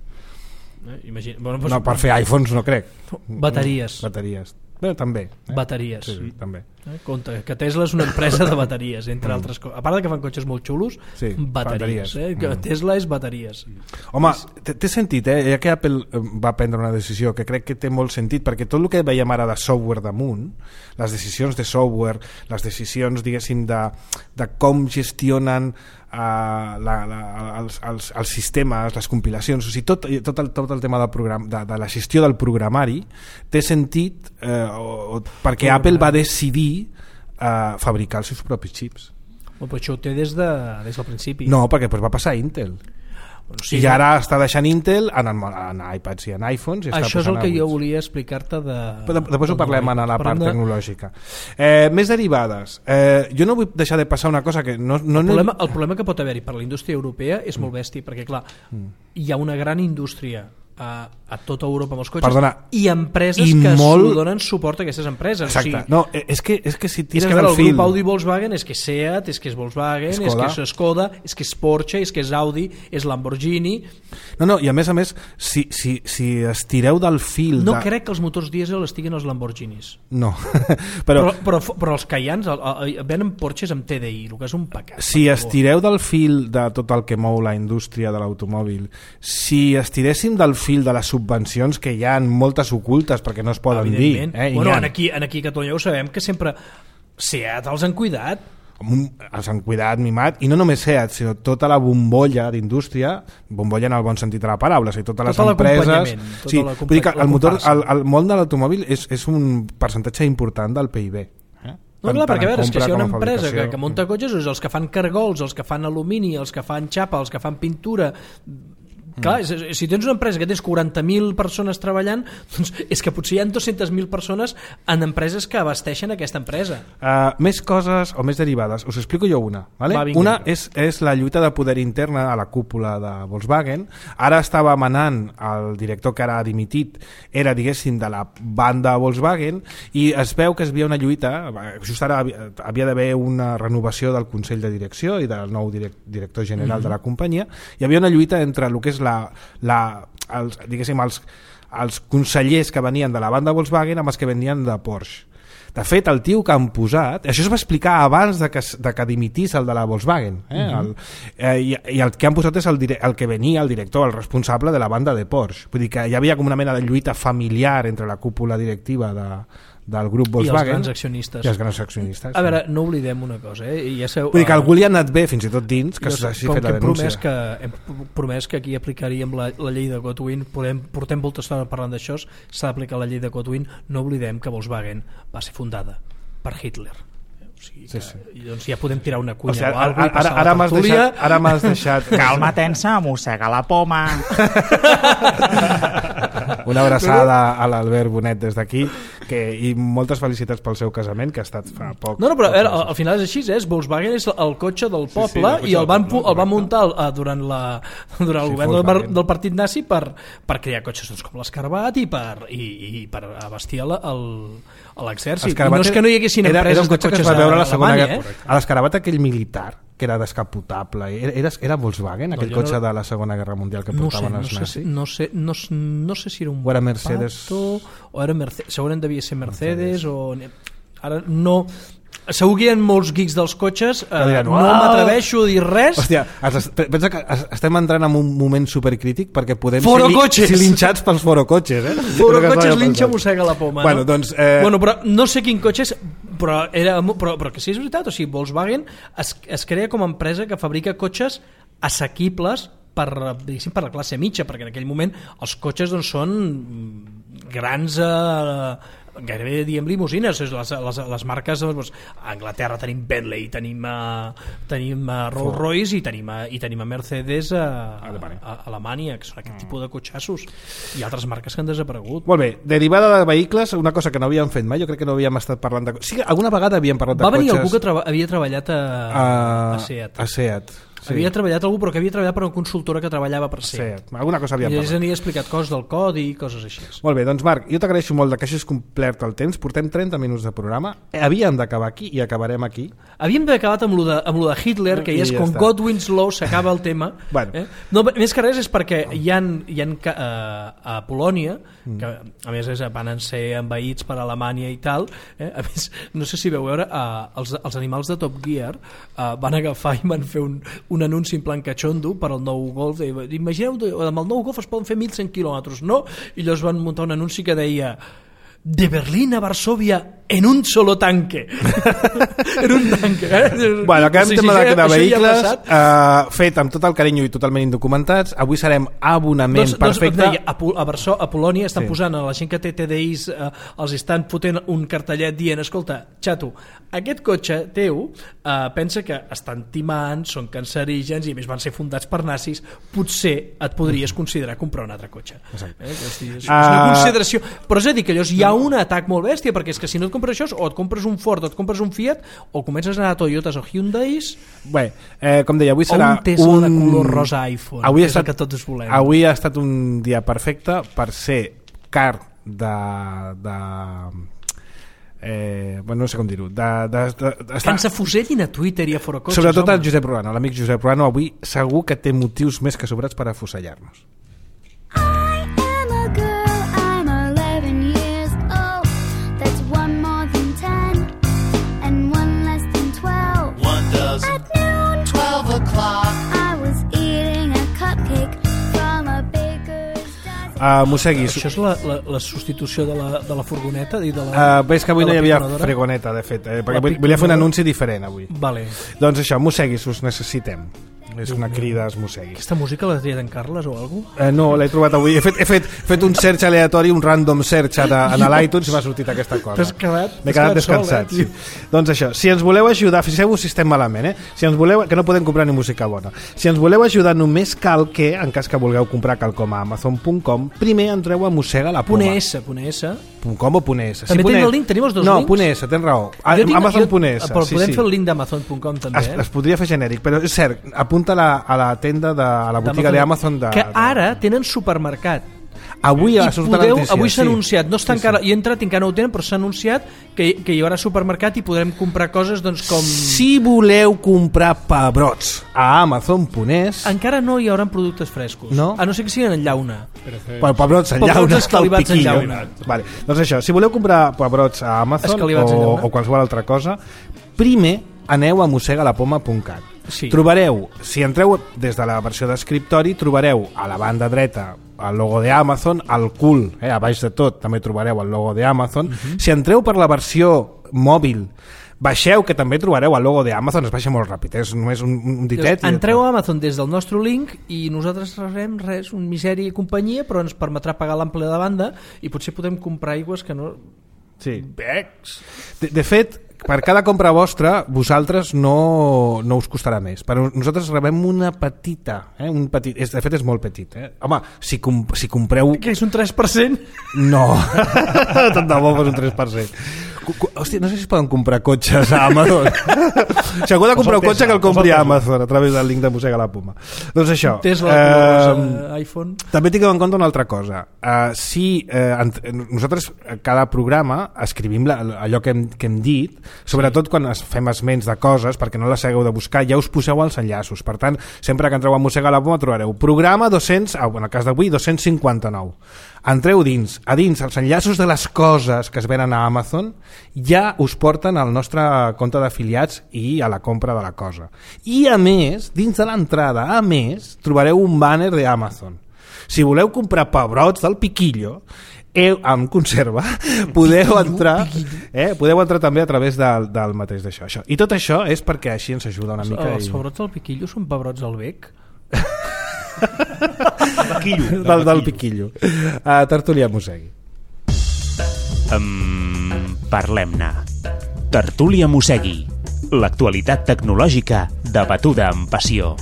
Eh, imagina, bueno, pues, No, per fer iPhones no crec. Bateries. Bateries. Bé, també. Eh? Bateries. Sí, sí, també. Eh, compte, que Tesla és una empresa de bateries, entre mm. altres coses. A part de que fan cotxes molt xulos, sí, bateries. bateries. Eh? Que mm. Tesla és bateries. Home, té sentit, eh? Ja que Apple va prendre una decisió que crec que té molt sentit, perquè tot el que veiem ara de software damunt, les decisions de software, les decisions, diguéssim, de, de com gestionen Uh, la, la, els, els, els sistemes, les compilacions, o sigui, tot, tot, el, tot el tema del program, de, de la gestió del programari té sentit eh, o, o, perquè programari. Apple va decidir eh, fabricar els seus propis xips. Oh, però això ho té des, de, des del principi. No, perquè pues, va passar a Intel. Bueno, sí, i ara està deixant Intel en, en iPads i en iPhones i això és el que jo volia explicar-te de... Però després ho parlem en la part de... tecnològica. Eh, més derivades. Eh, jo no vull deixar de passar una cosa que no... no el, problema, el problema que pot haver-hi per la indústria europea és mm. molt bèstia, perquè clar, mm. hi ha una gran indústria a, a tota Europa amb els cotxes. Perdona, i empreses i que molt... donen suport a aquestes empreses. Exacte. O sigui, no, és que, és que si tires és que del el fil... grup Audi Volkswagen és que és Seat, és que és Volkswagen, Skoda. És que és Skoda, és que és Porsche, és que és Audi, és Lamborghini... No, no, i a més a més, si, si, si estireu del fil... No de... crec que els motors dièsel estiguin als Lamborghinis. No. però... Però, però, però els Cayennes venen Porsches amb T D I, el que és un pecat. Si estireu del fil de tot el que mou la indústria de l'automòbil, si estiréssim del fil de les subvencions, que hi ha moltes ocultes perquè no es poden dir... Eh? Bueno, en aquí, en aquí a Catalunya ho sabem que sempre Seat els han cuidat, els han cuidat, mimat, i no només Seat, sinó tota la bombolla d'indústria, bombolla en el bon sentit de la paraula, o sigui, totes les tot empreses... Sí, vull dir que el, motor, el, el món de l'automòbil és, és un percentatge important del P I B. Eh? No, clar, perquè a veure, és que si hi ha una empresa fabricació... que, que munta cotxes, és els que fan cargols, els que fan alumini, els que fan xapa, els que fan pintura... Clar, mm. si tens una empresa que tens quaranta mil persones treballant, doncs és que potser hi ha dues-centes mil persones en empreses que abasteixen aquesta empresa. Uh, més coses o més derivades. Us explico jo una. ¿vale? Va, una és, és la lluita de poder interna a la cúpula de Volkswagen. Ara estava manant el director que ara ha dimitit, era, diguéssim, de la banda Volkswagen, i es veu que es havia una lluita, just ara havia, havia d'haver una renovació del Consell de Direcció i del nou direct, director general mm-hmm. de la companyia. Hi havia una lluita entre el que és la, la, els, diguéssim, els, els consellers que venien de la banda Volkswagen amb els que venien de Porsche. De fet, el tio que han posat, això es va explicar abans de que, de que dimitís el de la Volkswagen, eh? uh-huh. el, eh, i, i el que han posat és el, el que venia, el director, el responsable de la banda de Porsche. Vull dir que hi havia com una mena de lluita familiar entre la cúpula directiva de, del grup Volkswagen i els grans accionistes. I els grans accionistes. A veure, no oblidem una cosa, eh? I ja sabeu, vull dir que algú li ha anat bé, fins i tot dins, que s'hagi fet la denúncia. Hem que hem promès que aquí aplicaríem la, la llei de Godwin, podem, portem molta estona parlant d'això, s'ha d'aplicar la llei de Godwin, no oblidem que Volkswagen va ser fundada per Hitler. O sigui que, sí, sí. I doncs ja podem tirar una cunya o, sigui, o alguna cosa, ara, ara m'has deixat, ara m'has deixat calma tensa, mossega la poma. Una abraçada a l'Albert Bonet des d'aquí, que, i moltes felicitats pel seu casament, que ha estat fa poc. No, no, però veure, al final és així, és Volkswagen és el cotxe del poble, sí, sí, i el van, el van muntar uh, durant, la, durant el sí, govern del, del partit nazi per, per crear cotxes doncs, com l'Escarabat i per, i, i per abastir el, el, l'exèrcit. I no és que no hi haguessin era, empreses era un de cotxes a, a la segona Alemanya, guerra, eh? A l'Escarabat aquell militar que era descapotable, era, era, era Volkswagen aquell no, cotxe no, de la segona guerra mundial que portaven no sé, els nazis? No sé, no, sé, no, no sé si era un o era Mercedes Pato, o era Mercedes, segurament devia ser Mercedes, Mercedes. o... Ara no... Segur que hi ha molts geeks dels cotxes, eh, diran, no m'atreveixo a dir res. Hòstia, pensa que estem entrant en un moment supercrític perquè podem Forocotxes. ser linxats pels forocotxes, eh? Forocotxes linxa mossega la poma. Bueno, no? doncs... Eh... Bueno, però no sé quin cotxe és, però, era, però, però que sí és veritat, o sigui, Volkswagen es, es crea com a empresa que fabrica cotxes assequibles per, diguéssim, per la classe mitja, perquè en aquell moment els cotxes doncs, són grans... Eh, gairebé diem limusines, les, les, les marques doncs, a Anglaterra tenim Bentley, tenim, uh, tenim uh, Rolls Royce i tenim, uh, i tenim a Mercedes a, a, a Alemanya, que són aquest mm. tipus de cotxassos, i altres marques que han desaparegut. Molt bé, derivada de vehicles, una cosa que no havíem fet mai, jo crec que no havíem estat parlant de... Sí, alguna vegada havíem parlat de Va cotxes... venir algú que traba... havia treballat a, a... a Seat. A Seat. Sí. Havia treballat algú, però que havia treballat per una consultora que treballava per Seat. Sí, alguna cosa havíem I parlat. ells n'hi explicat coses del codi i coses així. Molt bé, doncs Marc, jo t'agraeixo molt que hagis complert el temps, portem trenta minuts de programa, havíem d'acabar aquí i acabarem aquí. Havíem d'acabar amb, de, amb lo de Hitler, que ja és ja com està. Godwin's Law, s'acaba el tema. Bueno. Eh? No, més que res és perquè hi ha, hi ha uh, a Polònia, que a més és, van ser envaïts per Alemanya i tal, eh? A més, no sé si veu veure, uh, els, els animals de Top Gear uh, van agafar i van fer un, un anunci en plan cachondo per al nou Golf. Imagineu, amb el nou Golf es poden fer mil cent quilòmetres, no? I llavors van muntar un anunci que deia de Berlín a Varsovia en un solo tanque. En un tanque. Eh? Bueno, acabem sí, sí, tema sí, de, de vehicles, ja uh, fet amb tot el carinyo i totalment indocumentats. Avui serem abonament doncs, perfecte. Doncs, deia, a, a, Barso, a Polònia estan sí. posant a la gent que té T D Is, uh, els estan fotent un cartellet dient, escolta, xato, aquest cotxe teu uh, pensa que estan timant, són cancerígens i a més van ser fundats per nazis, potser et podries considerar comprar un altre cotxe. Eh? És, dir, és, és una consideració, però és a dir que llavors hi ha un atac molt bèstia, perquè és que si no et compres això o et compres un Ford o et compres un Fiat o comences a anar a Toyotas o Hyundais. Bé, eh, com deia, avui serà un Tesla un... de color rosa iPhone, avui que és estat... el que tots volem. Avui ha estat un dia perfecte per ser car de... de... Eh, bueno, no sé com dir-ho de, de, de, de, que ens afusellin a Twitter i a Forocotxes, sobretot home. el Josep Ruano, l'amic Josep Ruano avui segur que té motius més que sobrats per afusellar-nos. Uh, Mosseguis. Això és la, la, la substitució de la, de la furgoneta i de la, uh, veig que avui no hi havia piconadora? fregoneta, de fet, eh, perquè volia fer un anunci diferent avui. Vale. Doncs això, Mosseguis, us necessitem. És una crida als Mosseguis. Aquesta música l'ha triat en Carles o alguna cosa? Eh, no, l'he trobat avui. He fet, he fet, fet un search aleatori, un random search a, a l'iTunes i m'ha sortit aquesta cosa. T'has quedat, M'he quedat descansat. Sol, eh, sí. Doncs això, si ens voleu ajudar, fixeu-vos si estem malament, eh? Si ens voleu, que no podem comprar ni música bona. Si ens voleu ajudar, només cal que, en cas que vulgueu comprar quelcom a amazon punt com, primer entreu a Mossega la Poma. .es, .es. .com o .es. També sí, tenim el link, tenim els dos no, links? No, .es, tens raó. amazon punt es. Però sí, podem sí. fer el link d'amazon punt com també, es, eh? es podria fer genèric, però és cert, apunta la, a la tenda de a la botiga d'Amazon de... que ara tenen supermercat. Avui ha sortit la notícia. Avui s'ha sí. anunciat, no està sí, encara, sí. jo he entrat i encara no ho tenen, però s'ha anunciat que, que hi haurà supermercat i podrem comprar coses doncs com... Si voleu comprar pebrots a amazon punt es... Encara no hi haurà productes frescos. No? A no ser que siguin en llauna. Però pebrots en llauna. Pebrots escalivats en llauna. Vale. Doncs això, si voleu comprar pebrots a Amazon o, o qualsevol altra cosa, primer aneu a mossega la poma punt cat. Sí. Trobareu, si entreu des de la versió d'escriptori, trobareu a la banda dreta el logo d'Amazon, al cul, eh, a baix de tot també trobareu el logo d'Amazon. Uh-huh. Si entreu per la versió mòbil, baixeu, que també trobareu el logo d'Amazon, es baixa molt ràpid, és només un, un ditet. Llavors, entreu a Amazon des del nostre link i nosaltres rebrem res, un misèria i companyia, però ens permetrà pagar l'ample de banda i potser podem comprar aigües que no... Sí. Becs. De, de fet, per cada compra vostra, vosaltres no, no us costarà més. Però nosaltres rebem una petita, eh? un petit, és, de fet és molt petit. Eh? Home, si, com, si compreu... Que és un tres per cent? No, tant de bo fos un tres per cent. Hòstia, no sé si es poden comprar cotxes a Amazon. Si algú ha de comprar un cotxe, que el compri a Amazon a través del link de Mossega la Poma. Doncs això. Tesla, eh, iPhone. També tingueu en compte una altra cosa. Uh, si uh, nosaltres cada programa escrivim la, allò que hem, que hem dit, sobretot quan es fem esments de coses, perquè no les hagueu de buscar, ja us poseu els enllaços. Per tant, sempre que entreu a Mossega la Poma trobareu programa dos cents, en el cas d'avui dos-cents cinquanta-nou. Entreu dins, a dins els enllaços de les coses que es venen a Amazon, ja us porten al nostre compte d'afiliats i a la compra de la cosa. I a més, dins de l'entrada, a més, trobareu un banner d'Amazon. Si voleu comprar pebrots del Piquillo, eh, amb conserva, podeu entrar, eh, podeu entrar també a través del, del mateix d'això. Això. I tot això és perquè així ens ajuda una mica. Els i... pebrots del Piquillo són pebrots al bec? Piquillo, del, del Piquillo. Uh, Tertúlia Mosegui. Um, Parlem-ne. Tertúlia Mosegui. L'actualitat tecnològica debatuda amb passió.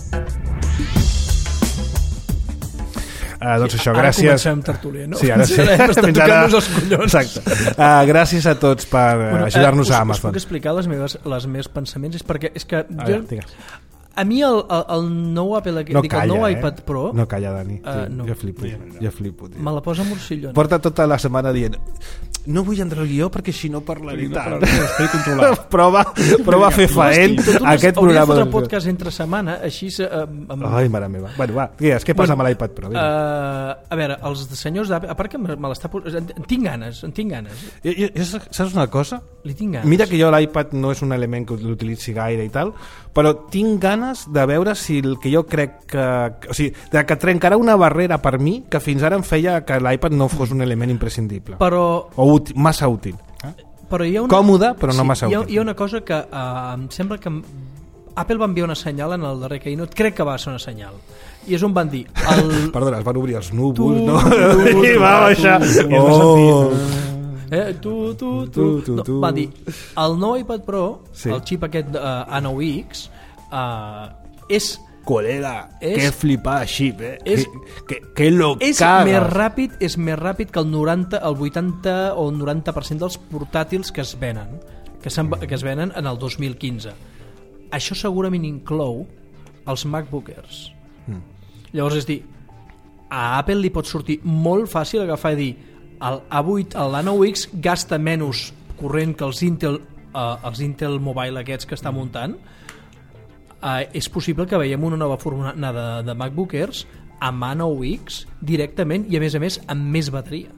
Uh, doncs això, ara gràcies. comencem tertúlia, no? Sí, ara sí. Estem tocant-nos els collons. Exacte. Uh, gràcies a tots per bueno, ajudar-nos eh, us, a Amazon. Us puc explicar les meves, les meves pensaments? És perquè és que A, jo, veure, digues. a mi el, el, el nou Apple, no dic, calla, el nou eh? iPad Pro no calla, Dani, uh, no. jo flipo, jo flipo tio. me la posa morcillona. Porta tota la setmana dient no vull entrar al guió perquè si no parlaré No tant. parlaré, controlat. prova, prova a fer faent aquest programa. Hauria de fotre podcast entre setmana, així... Uh, amb... Ai, mare meva. Bueno, va, digues, què passa bueno, amb l'iPad Pro? Uh, a veure, els senyors d'Apple, a part que me, me l'està... En, en tinc ganes, en tinc ganes. Jo, jo, jo, saps una cosa? Li tinc ganes. Mira que jo l'iPad no és un element que l'utilitzi gaire i tal, però tinc ganes de veure si el que jo crec que... O sigui, de que trencarà una barrera per mi que fins ara em feia que l'iPad no fos un element imprescindible. Però... O útil, massa útil. Però hi ha una... Còmode, però no sí, massa hi ha, útil. hi ha una cosa que uh, em sembla que Apple va enviar una senyal en el darrer Keynote, crec que va ser una senyal, i és on van dir... El... Perdona, es van obrir els núvols, Tu, no? tu, tu, I va baixar. tu, Oh. Eh, tu, tu, tu, Tu, tu, no, tu. van dir, el nou iPad Pro, Sí. el xip aquest uh, A nou X, uh, és... Col·lega, És- que flipada xip, eh? és- que, que, que lo És caga. més ràpid, és més ràpid que el noranta, el vuitanta o el noranta per cent dels portàtils que es venen, que, que es venen en el dos mil quinze. Això segurament inclou els MacBookers. Mm. Llavors, és dir, a Apple li pot sortir molt fàcil agafar i dir el A vuit, l'A nou X gasta menys corrent que els Intel, uh, els Intel Mobile aquests que està muntant. Uh, és possible que veiem una nova forma de, de MacBookers amb A nou X directament i a més a més amb més bateria.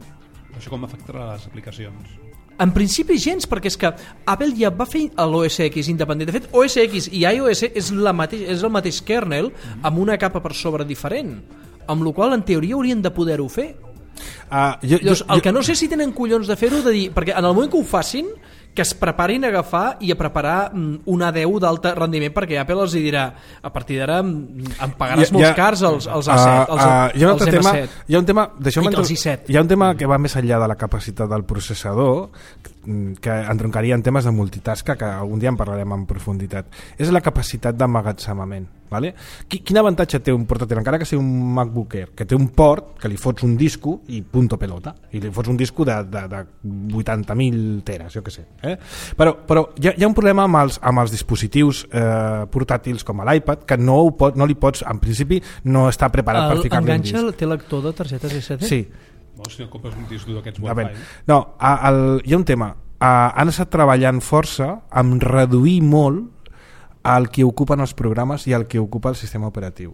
Això com afectarà les aplicacions? En principi gens, perquè és que Apple ja va fer l'O S X independent. De fet, O S X i iOS és, la mateix, és el mateix kernel amb una capa per sobre diferent, amb la qual en teoria haurien de poder-ho fer. Uh, jo, Llavors, jo, el que no sé si tenen collons de fer-ho, de dir, perquè en el moment que ho facin, que es preparin a agafar i a preparar mm, una A deu d'alta rendiment, perquè Apple els dirà, a partir d'ara mm, em pagaràs Ja- molts ja- cars els, els A set, els, Uh, uh, hi ha un els altre M tema, set. hi ha un tema, deixeu-me I els entro- i set. hi ha un tema que va més enllà de la capacitat del processador, que entroncaria en temes de multitask, que algun dia en parlarem en profunditat. És la capacitat d'emmagatzemament, vale? Quin avantatge té un portàtil, encara que sigui un MacBook Air, que té un port que li fots un disco i punto pelota, i li fots un disco de, de, de vuitanta mil teres, jo que sé, eh? però, però hi ha, hi ha un problema amb els, amb els dispositius eh, portàtils com l'iPad, que no, ho pot, no li pots, en principi no està preparat El, per ficar-li un enganxa, disc. té lector de targetes S D? Sí. O si no compres un disc dur d'aquests A veure, Wi-Fi. no, a, el, hi ha un tema. A, han estat treballant força amb reduir molt el que ocupen els programes i el que ocupa el sistema operatiu.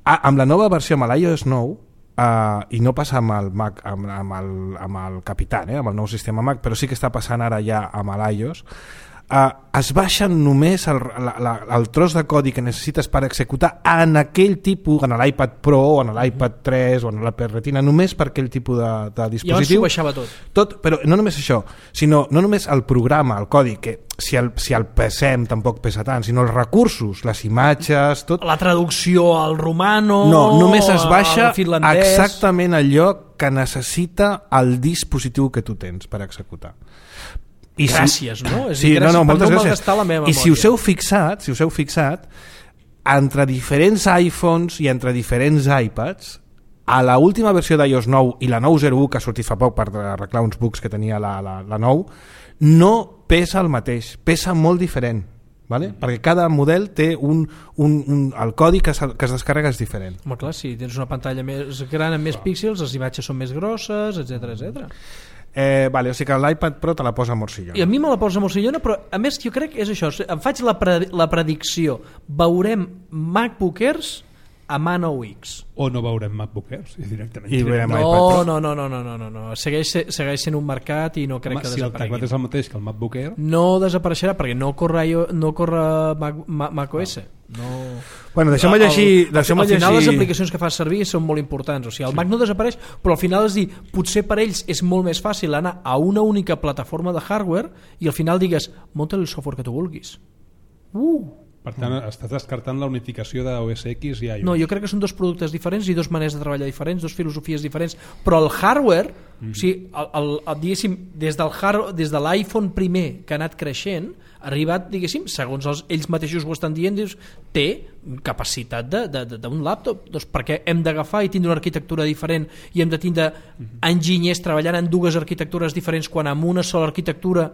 A, amb la nova versió, amb l'iOS nou, uh, i no passa amb el Mac, amb, amb, el, amb el Capitan, eh, amb el nou sistema Mac, però sí que està passant ara ja amb l'iOS, Uh, es baixen només el, la, la, el tros de codi que necessites per executar en aquell tipus, en l'iPad Pro o en l'iPad tres o en l'iPad Retina, només per aquell tipus de, de dispositiu. Llavors s'ho baixava tot. tot. Però no només això, sinó no només el programa, el codi, que si el, si el pesem tampoc pesa tant, sinó els recursos, les imatges, tot. La traducció al romano, No, només es baixa al finlandès. exactament allò que necessita el dispositiu que tu tens per executar. I Gràcies, no? És sí, dir, gràcies no, no, per moltes no gràcies. malgastar la meva I si memòria. us heu fixat, si us heu fixat, entre diferents iPhones i entre diferents iPads, a la última versió d'iOS nou i la nou zero u que ha sortit fa poc per arreglar uns bugs que tenia la, la, la nou, no pesa el mateix, pesa molt diferent, vale? Perquè cada model té un, un, un, el codi que, que es descarrega és diferent. Home, clar, si tens una pantalla més gran amb més píxels, les imatges són més grosses, etc etcètera. Eh, vale, o sigui que l'iPad Pro te la posa morcillona. I a mi me la posa morcillona, però a més jo crec que és això, em faig la, pre la predicció, veurem MacBookers a Man O X. O no veurem MacBook Airs directament. I veurem No, iPad Pro. no, no, no, no, no, no, no. Segueix, segueix sent un mercat i no crec Home, que si el desaparegui. teclat és el mateix que el MacBook Air, No desapareixerà perquè no corre, no corre Mac, Mac, macOS. No. Bueno, deixeu-me llegir... Deixeu-me al final llegir... les aplicacions que fas servir són molt importants. O sigui, el Mac no desapareix, però al final és dir, potser per ells és molt més fàcil anar a una única plataforma de hardware i al final digues, munta el software que tu vulguis. Uh! per tant mm. estàs descartant la unificació de O S X i iOS. No, jo crec que són dos productes diferents i dos maneres de treballar diferents, dos filosofies diferents, però el hardware, mm. o sigui, el, el, el, diguéssim, des del hard, des de l'iPhone primer que ha anat creixent, ha arribat, diguéssim, segons els, ells mateixos ho estan dient, dius, té capacitat d'un laptop. Doncs perquè hem d'agafar i tindre una arquitectura diferent i hem de tindre mm. enginyers treballant en dues arquitectures diferents quan amb una sola arquitectura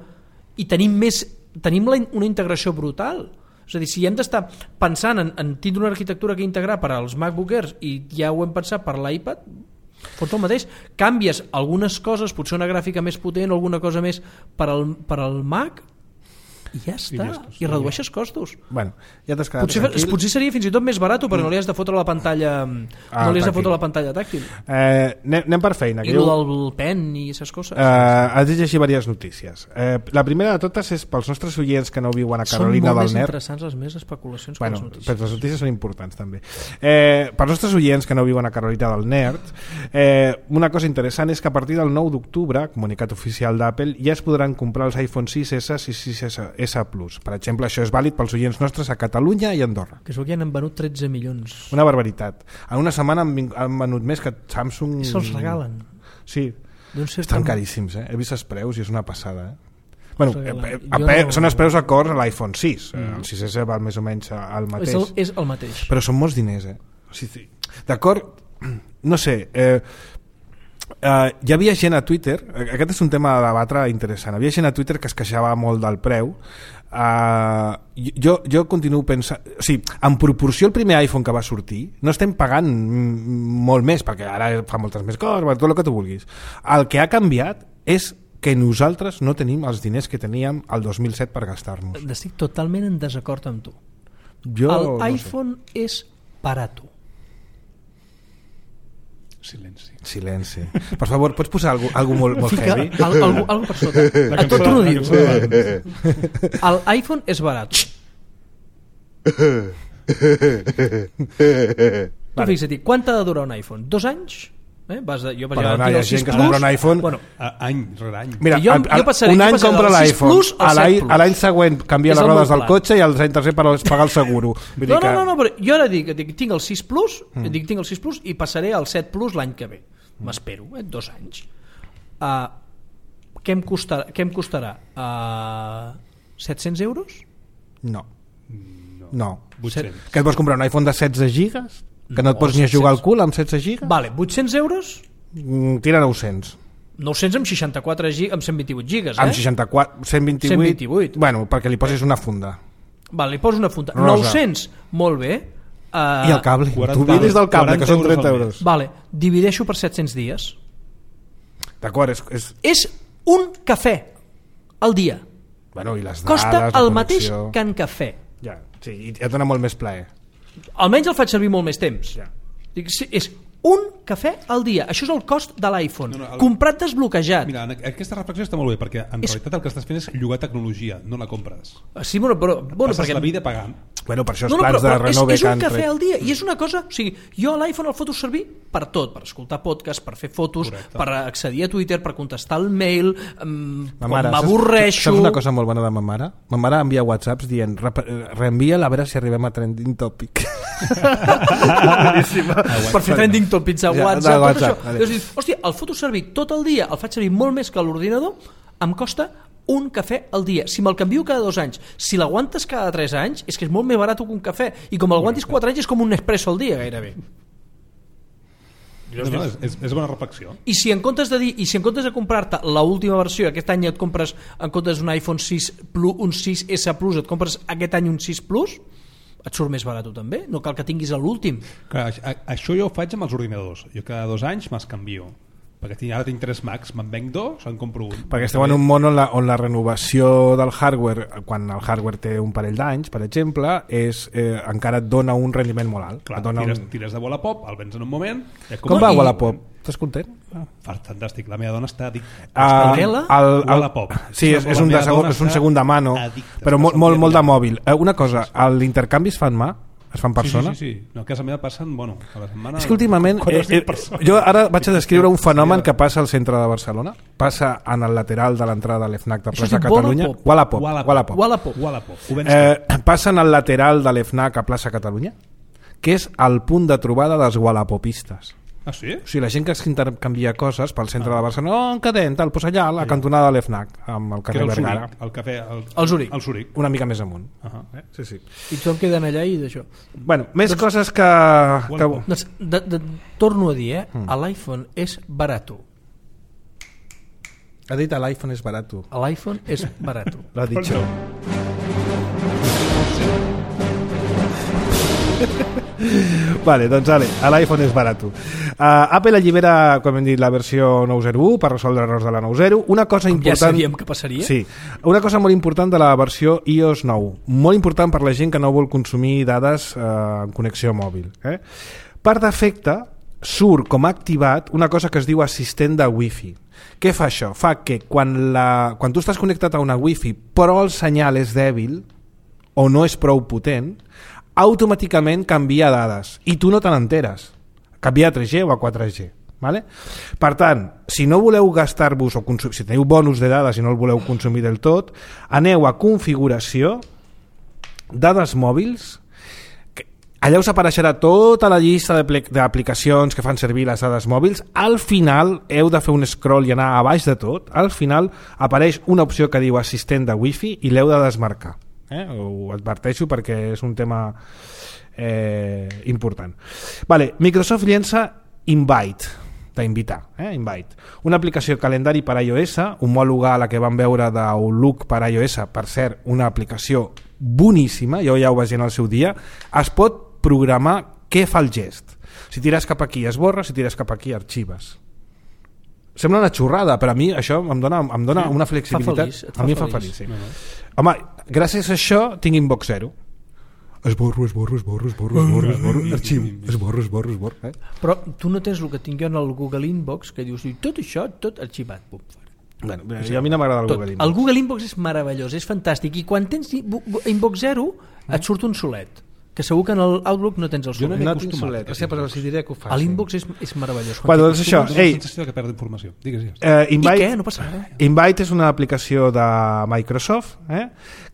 i tenim més, tenim la, una integració brutal. És a dir, si hem d'estar pensant en, en tindre una arquitectura que integrar per als MacBook Airs i ja ho hem pensat per l'iPad, fots el mateix, canvies algunes coses, potser una gràfica més potent o alguna cosa més per al, per al Mac i ja està, i, ja i redueixes costos. Bueno, ja t'has quedat potser, tranquil. potser seria fins i tot més barat perquè no li has de fotre la pantalla ah, no li has de tàctil. fotre la pantalla tàctil. Eh, anem, anem per feina. I el del pen i aquestes coses. Eh, has de llegir diverses notícies. Eh, la primera de totes és pels nostres oients que no viuen a Carolina del Nord. Són molt més interessants les meves especulacions bueno, que les notícies. Però les notícies són importants també. Eh, pels nostres oients que no viuen a Carolina del Nord, eh, una cosa interessant és que a partir del nou d'octubre, comunicat oficial d'Apple, ja es podran comprar els iPhone sis essa i sis essa Plus. Per exemple, això és vàlid pels oients nostres a Catalunya i Andorra. Que es veu que ja n'han venut tretze milions. Una barbaritat. En una setmana han, han venut més que Samsung... I se'ls regalen. Sí, estan caríssims, eh? He vist els preus i és una passada, eh? Bueno, eh, eh, pe, no... són els preus acords a l'iPhone sis. Mm. El sis essa val més o menys al mateix. És el, és el mateix. Però són molts diners, eh? Sí, sí. D'acord? No sé... Eh, Uh, hi havia gent a Twitter, aquest és un tema a debatre interessant, hi havia gent a Twitter que es queixava molt del preu. uh, jo, jo continuo pensant, o sigui, en proporció al primer iPhone que va sortir no estem pagant molt més perquè ara fa moltes més coses, tot el que tu vulguis. El que ha canviat és que nosaltres no tenim els diners que teníem el dos mil set per gastar-nos. Estic totalment en desacord amb tu. Jo, L'iPhone no sé. És barato. Silenci. Silenci. Per favor, pots posar algo, algo molt, molt Fica heavy? al, algo, algo per sota. A tot tu no dius. L'iPhone és barat. Tu fixa't, quant t'ha de durar un iPhone? Dos anys? Eh? Vas de, jo, per Però exemple, no, hi ha gent que es compra un iPhone... Bueno, A, any rere any. Mira, jo- el, el, jo passaré- un jo any passaré compra del sis l'iPhone, Plus al a l'any set Plus. a l'any següent canvia És les el rodes meu del plan. cotxe i al any tercer per pagar el seguro. Vull dir no, que... no, no, no, però jo ara dic, dic tinc el sis Plus, mm. dic, tinc el sis Plus i passaré al set Plus l'any que ve. M'espero, eh? Dos anys. Uh, què em costarà? Què em costarà? Uh, set-cents euros? No. No. No. vuit-cents. Que et vols comprar un iPhone de setze gigas? Que no et No, pots ni a jugar al set-cents. cul amb setze gigas? Vale, vuit-cents euros? Mm, tira nou-cents. nou-cents amb seixanta-quatre gigas, amb cent vint-i-vuit gigas, eh? Amb seixanta-quatre, cent vint-i-vuit... cent vint-i-vuit. Bueno, perquè li posis una funda. Vale, li poso una funda. Rosa. nou-cents, molt bé. Uh, I el cable. quaranta Tu vinis del cable, que són quaranta trenta euros al euros. Vale, divideixo per set-cents dies. D'acord, és, és... És un cafè al dia. Bueno, i les dades, Costa la el mateix connexió. que en cafè. Ja, sí, i et dona molt més plaer. Almenys el faig servir molt més temps. Ja. Dic, sí, és un cafè al dia. Això és el cost de l'iPhone. No, no, el- Comprat desbloquejat. Mira, en aquesta reflexió està molt bé, perquè en És- realitat el que estàs fent és llogar tecnologia, no la compres. Sí, bueno, però... Bueno, Passes perquè... la vida pagant. Bueno, per això els No, no, plans però, però de és, Renove és que un han cafè tret. al dia i és una cosa, o sigui, jo l'iPhone el foto servir per tot, per escoltar podcast, per fer fotos, Correcte. per accedir a Twitter, per contestar el mail, um, Ma quan mare, saps- m'avorreixo... Saps una cosa molt bona de ma mare? Ma mare envia whatsapps dient "Rep- reenvia a veure si arribem a trending topic". per fer trending topics a Ja, de WhatsApp, tot WhatsApp, això. vale. Llavors dius, hòstia, el foto servir tot el dia, el faig servir molt més que l'ordinador, em costa un cafè al dia. Si me'l canvio cada dos anys, si l'aguantes cada tres anys, és que és molt més barat que un cafè. I com l'aguantis quatre anys és com un espresso al dia, gairebé. No, no, és, és, és bona reflexió. I si en comptes de dir, i si en comptes de comprar-te l'última versió, aquest any et compres, en comptes d'un iPhone sis Plus, un sis essa Plus, et compres aquest any un sis Plus, et surt més barat també, no cal que tinguis l'últim. Clar, a- això jo ho faig amb els ordinadors. Jo cada dos anys me'ls canvio. perquè tinc, ara tinc tres Macs, me'n venc dos, en compro un. Perquè esteu en un món on la, on la renovació del hardware, quan el hardware té un parell d'anys, per exemple, és, eh, encara et dona un rendiment molt alt. Clar, dona tires, un... tires de Wallapop, el vens en un moment... Com va i... Wallapop? Estàs content? Ah, fantàstic, la meva dona està addicta. Uh, el, el, Wallapop. Sí, és, és, un, de segon, és un segon de mano, addicta, però molt, molt, molt de mòbil. Uh, una cosa, l'intercanvi es fa en mà? Es fa en persona? Sí, sí, sí, sí. No, a casa meva passen, bueno, a la setmana... És que últimament, eh, eh, jo ara vaig a descriure un fenomen que passa al centre de Barcelona, passa en el lateral de l'entrada de l'Fnac de Plaça Catalunya. Wallapop. Wallapop. Wallapop. Wallapop. Eh, passa en el lateral de l'Fnac a Plaça Catalunya, que és el punt de trobada dels wallapopistes. Ah, sí? O sigui, la gent que s'intercanvia coses pel centre ah. de Barcelona, oh, en cadent, tal, doncs allà, a la cantonada de l'Fnac, amb el carrer el Vergara. Zuric, el cafè... El, el Zuric. El Zuric. Una mica més amunt. Uh -huh. eh? Sí, sí. I tothom queden allà i d'això. Bueno, més doncs, coses que... que... Doncs, de, de, torno a dir, eh? Mm. L'iPhone és barato. Ha dit l'iPhone és barato. L'iPhone és barato. L'ha dit jo. Vale, doncs vale, l'iPhone és barato. Uh, Apple allibera, com hem dit, la versió nou zero u per resoldre errors de la nou zero. Una cosa com important... ja sabíem que passaria. Sí, una cosa molt important de la versió i O S nou. Molt important per la gent que no vol consumir dades uh, en connexió mòbil. Eh? Per defecte, surt com a activat una cosa que es diu assistent de Wi-Fi. Què fa això? Fa que quan, la... quan tu estàs connectat a una Wi-Fi però el senyal és dèbil o no és prou potent, automàticament canvia dades i tu no te n'enteres, canvia a tres G o a quatre G, vale? Per tant, si no voleu gastar-vos o consumir, si teniu bonus de dades i no el voleu consumir del tot, aneu a configuració, dades mòbils, que allà us apareixerà tota la llista d'aplicacions que fan servir les dades mòbils. Al final heu de fer un scroll i anar a baix de tot. Al final apareix una opció que diu assistent de Wi-Fi i l'heu de desmarcar. Eh? Ho adverteixo perquè és un tema eh, important. Vale, Microsoft llença Invite, d'invitar, eh? Invite, una aplicació calendari per iOS, homòloga a la que vam veure d'Outlook per iOS, per cert, una aplicació boníssima, jo ja ho vaig dir en el seu dia. Es pot programar què fa el gest. Si tires cap aquí esborra, si tires cap aquí arxives. Sembla una xorrada, però a mi això em dona, em dona una flexibilitat. Fa feliç, a mi em fa feliç, sí. No, no. Home, gràcies a això tinc inbox zero. Esborro, esborro, esborro, esborro, esborro, esborro, arxiu, esborro, esborro, esborro. Eh? Però tu no tens el que tinc jo en el Google Inbox, que dius, tot això, tot arxivat. Pum, bueno, a mi no m'agrada el tot. Google Inbox. El Google Inbox és meravellós, és fantàstic, i quan tens Inbox zero et surt un solet, que segur que en l'Outlook no tens el solet. Jo no, no tinc solet, o sigui, però els diré que ho faci. L'Inbox és, és meravellós. Bueno, doncs això, ei, la sensació que perd informació. Digues, digues. Eh, Invite, I què? No passa res. Invite és una aplicació de Microsoft, eh,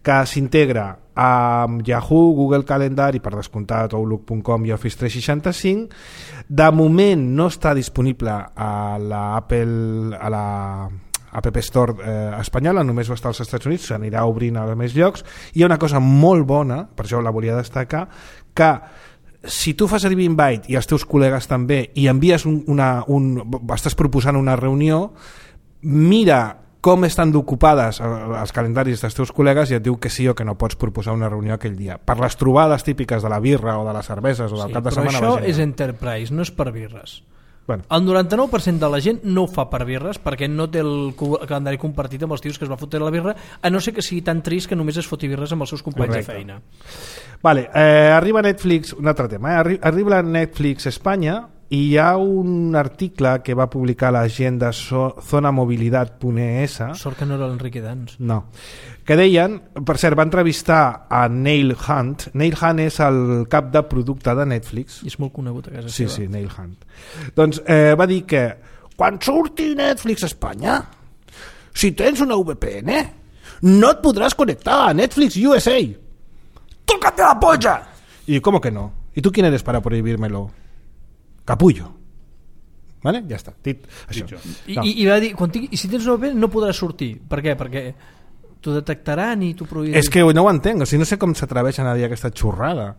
que s'integra amb Yahoo, Google Calendar i per descomptat Outlook punt com i Office tres seixanta-cinc. De moment no està disponible a la Apple, a la App Store eh, espanyola, només va estar als Estats Units, s'anirà obrint a més llocs. Hi ha una cosa molt bona, per això la volia destacar, que si tu fas servir Invite i els teus col·legues també i envies un, una, un, estàs proposant una reunió, mira com estan ocupades els calendaris dels teus col·legues i et diu que sí o que no pots proposar una reunió aquell dia. Per les trobades típiques de la birra o de les cerveses o del sí, cap de setmana... Però això és Enterprise, no és per birres. Bueno. El noranta-nou per cent de la gent no ho fa per birres perquè no té el calendari compartit amb els tios que es va fotre la birra, a no ser que sigui tan trist que només es foti birres amb els seus companys Correcte. De feina. Vale, eh, arriba Netflix, un altre tema, eh? arriba a Netflix Espanya i hi ha un article que va publicar la gent de so, zona mobilitat punt e essa. Sort que no era l'Enrique Dans. No. Que deien, per cert, va entrevistar a Neil Hunt. Neil Hunt és el cap de producte de Netflix. I és molt conegut a casa sí, seva. Sí, sí, Neil Hunt. Doncs eh, va dir que quan surti Netflix a Espanya, si tens una V P N, no et podràs connectar a Netflix U S A. ¡Tócate la polla! I com que no? I tu quién eres para prohibírmelo? Capullo. Vale? Ja està. Dit això. I, no. i, i va dir, quan tingui, i si tens una V P N no podràs sortir. Per què? Perquè t'ho detectaran i t'ho prohibirà. És que no ho entenc, o sigui, no sé com s'atreveixen a dir aquesta xorrada.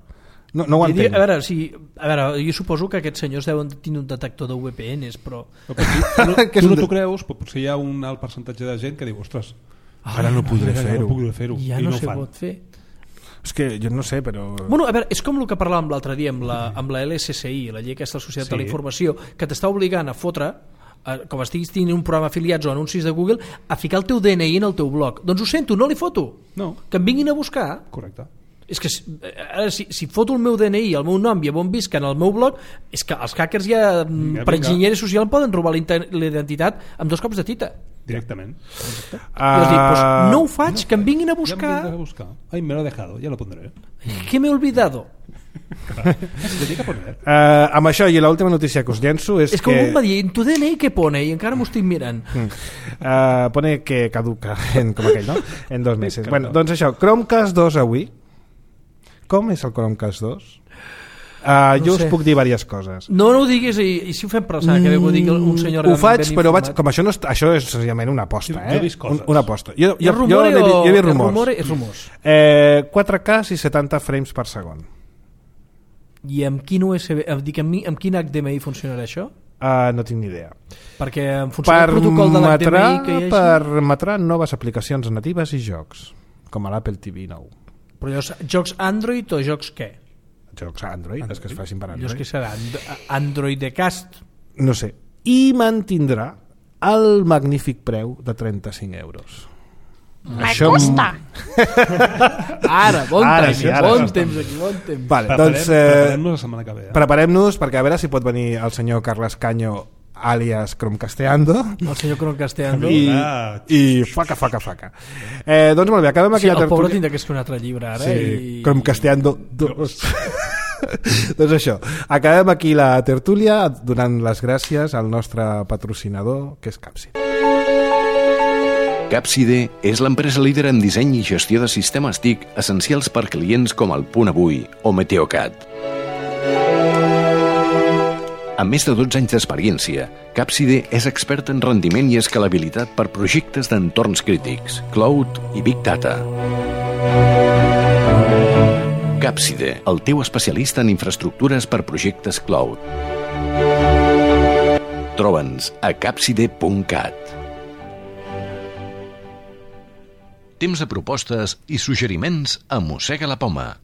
No, no ho entenc. A veure, si, a veure, jo suposo que aquests senyors deuen tenir un detector de V P Ns, però... No, però tu, no, tu no t'ho creus, però potser hi ha un alt percentatge de gent que diu, ostres, ara no podré fer-ho. No podré fer-ho. Ja I no, no se fan. pot fer. És que jo no sé, però... Bueno, a veure, és com el que parlàvem l'altre dia amb la, amb la L S S I, la llei aquesta de la Societat sí. de la Informació, que t'està obligant a fotre com estiguis tenint un programa afiliats o anuncis de Google, a ficar el teu D N I en el teu blog. Doncs ho sento, no li foto. No. Que em vinguin a buscar. Correcte. És que ara, si, si foto el meu D N I, el meu nom i on visc en el meu blog, és que els hackers ja, Vinga, per vinga. enginyeria social, poden robar l'identitat amb dos cops de tita. Directament. Uh, I dic, pues, no ho faig, no, que em vinguin a buscar. Ja em vinguin a buscar. Ai, me lo he dejado, ya lo pondré. ¿Qué me he olvidado? uh, amb això i l'última notícia que us llenço és, és que... És que algú em va dir, en tu D N I què pone? I encara m'ho estic mirant. Uh, pone que caduca, en, com aquell, no? En dos mesos. Bueno, doncs això, Chromecast dos avui. Com és el Chromecast dos? Uh, no jo sé. us puc dir diverses coses. No, no ho diguis, i, i si ho fem passar, que ho digui un senyor... Ho faig, ben però informat. vaig, com això, no és, això és senzillament una aposta. Jo- Eh? jo he vist coses. Un, una aposta. Jo, És jo, jo, rumore jo, o... jo he vist és rumors. rumore? És rumors. Eh, quatre K i setanta frames per segon. I amb quin U S B... Em dic, amb, mi- amb quin H D M I funcionarà això? Uh, no tinc ni idea. Perquè en funció del protocol de l'H D M I que hi hagi... Permetrà noves aplicacions natives i jocs, com a l'Apple T V nou. Però llavors, jocs Android o jocs què? Jocs Android, Android. Els que es facin per Llavors Android. què serà? And- Android de cast? No sé. I mantindrà el magnífic preu de trenta-cinc euros. Me costa. Ara, bon Ara temps, sí, ara bon sí. temps aquí, bon temps. Vale, Preparem, doncs, eh, preparem-nos la setmana que ve. Eh? preparem-nos perquè a veure si pot venir el senyor Carles Caño alias Chromcasteando El senyor Croncasteando. i, Ah. i faca, faca, faca. Eh, doncs molt bé, acabem Sí, aquella el pobre tertúlia. tindrà que escriure un altre llibre ara. Sí, I... Chromcasteando dos. Doncs això, acabem aquí la tertúlia donant les gràcies al nostre patrocinador, que és Capsid. Capside és l'empresa líder en disseny i gestió de sistemes T I C essencials per clients com el Punt Avui o Meteocat. Amb més de dotze anys d'experiència, Capside és expert en rendiment i escalabilitat per projectes d'entorns crítics, cloud i big data. Capside, el teu especialista en infraestructures per projectes cloud. Troba'ns a capside punt cat. Temps de propostes i suggeriments a Mossega la Poma.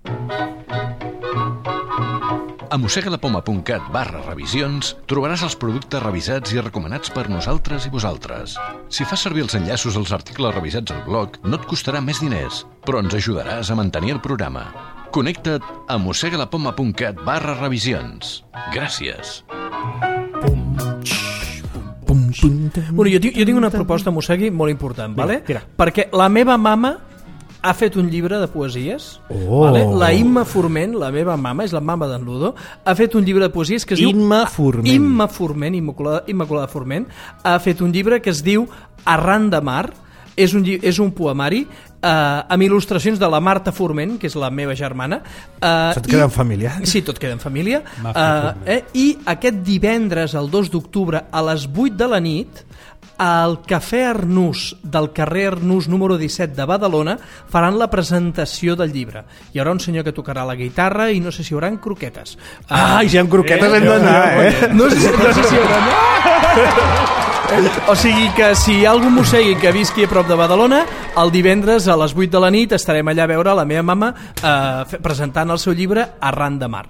A mossegalapoma punt cat barra revisions trobaràs els productes revisats i recomanats per nosaltres i vosaltres. Si fas servir els enllaços als articles revisats al blog, no et costarà més diners, però ens ajudaràs a mantenir el programa. Connecta't a mossegalapoma punt cat barra revisions. Gràcies. Bueno, jo, tinc, jo tinc una proposta, Mossegui, molt important, vale? tira. Perquè la meva mama ha fet un llibre de poesies. Oh. Vale? La Imma Forment, la meva mama, és la mama d'en Ludo, ha fet un llibre de poesies que es diu... Imma Forment. Imma Forment, Immaculada, Immaculada Forment, ha fet un llibre que es diu Arran de Mar. És un, lli- és un poemari eh, amb il·lustracions de la Marta Forment, que és la meva germana. Eh, Tot queda en família. Sí, tot queda en família. Marta Eh, Forment. eh, I aquest divendres, el dos d'octubre, a les vuit de la nit, al Cafè Arnús del carrer Arnús número disset de Badalona faran la presentació del llibre. Hi haurà un senyor que tocarà la guitarra i no sé si hi haurà croquetes. Ah, i si hi ha croquetes hem d'anar, eh? No sé, no sé si hi haurà... O sigui que si hi ha algun mossegui que visqui a prop de Badalona, el divendres a les vuit de la nit estarem allà a veure la meva mama eh, fe- presentant el seu llibre Arran de Mar.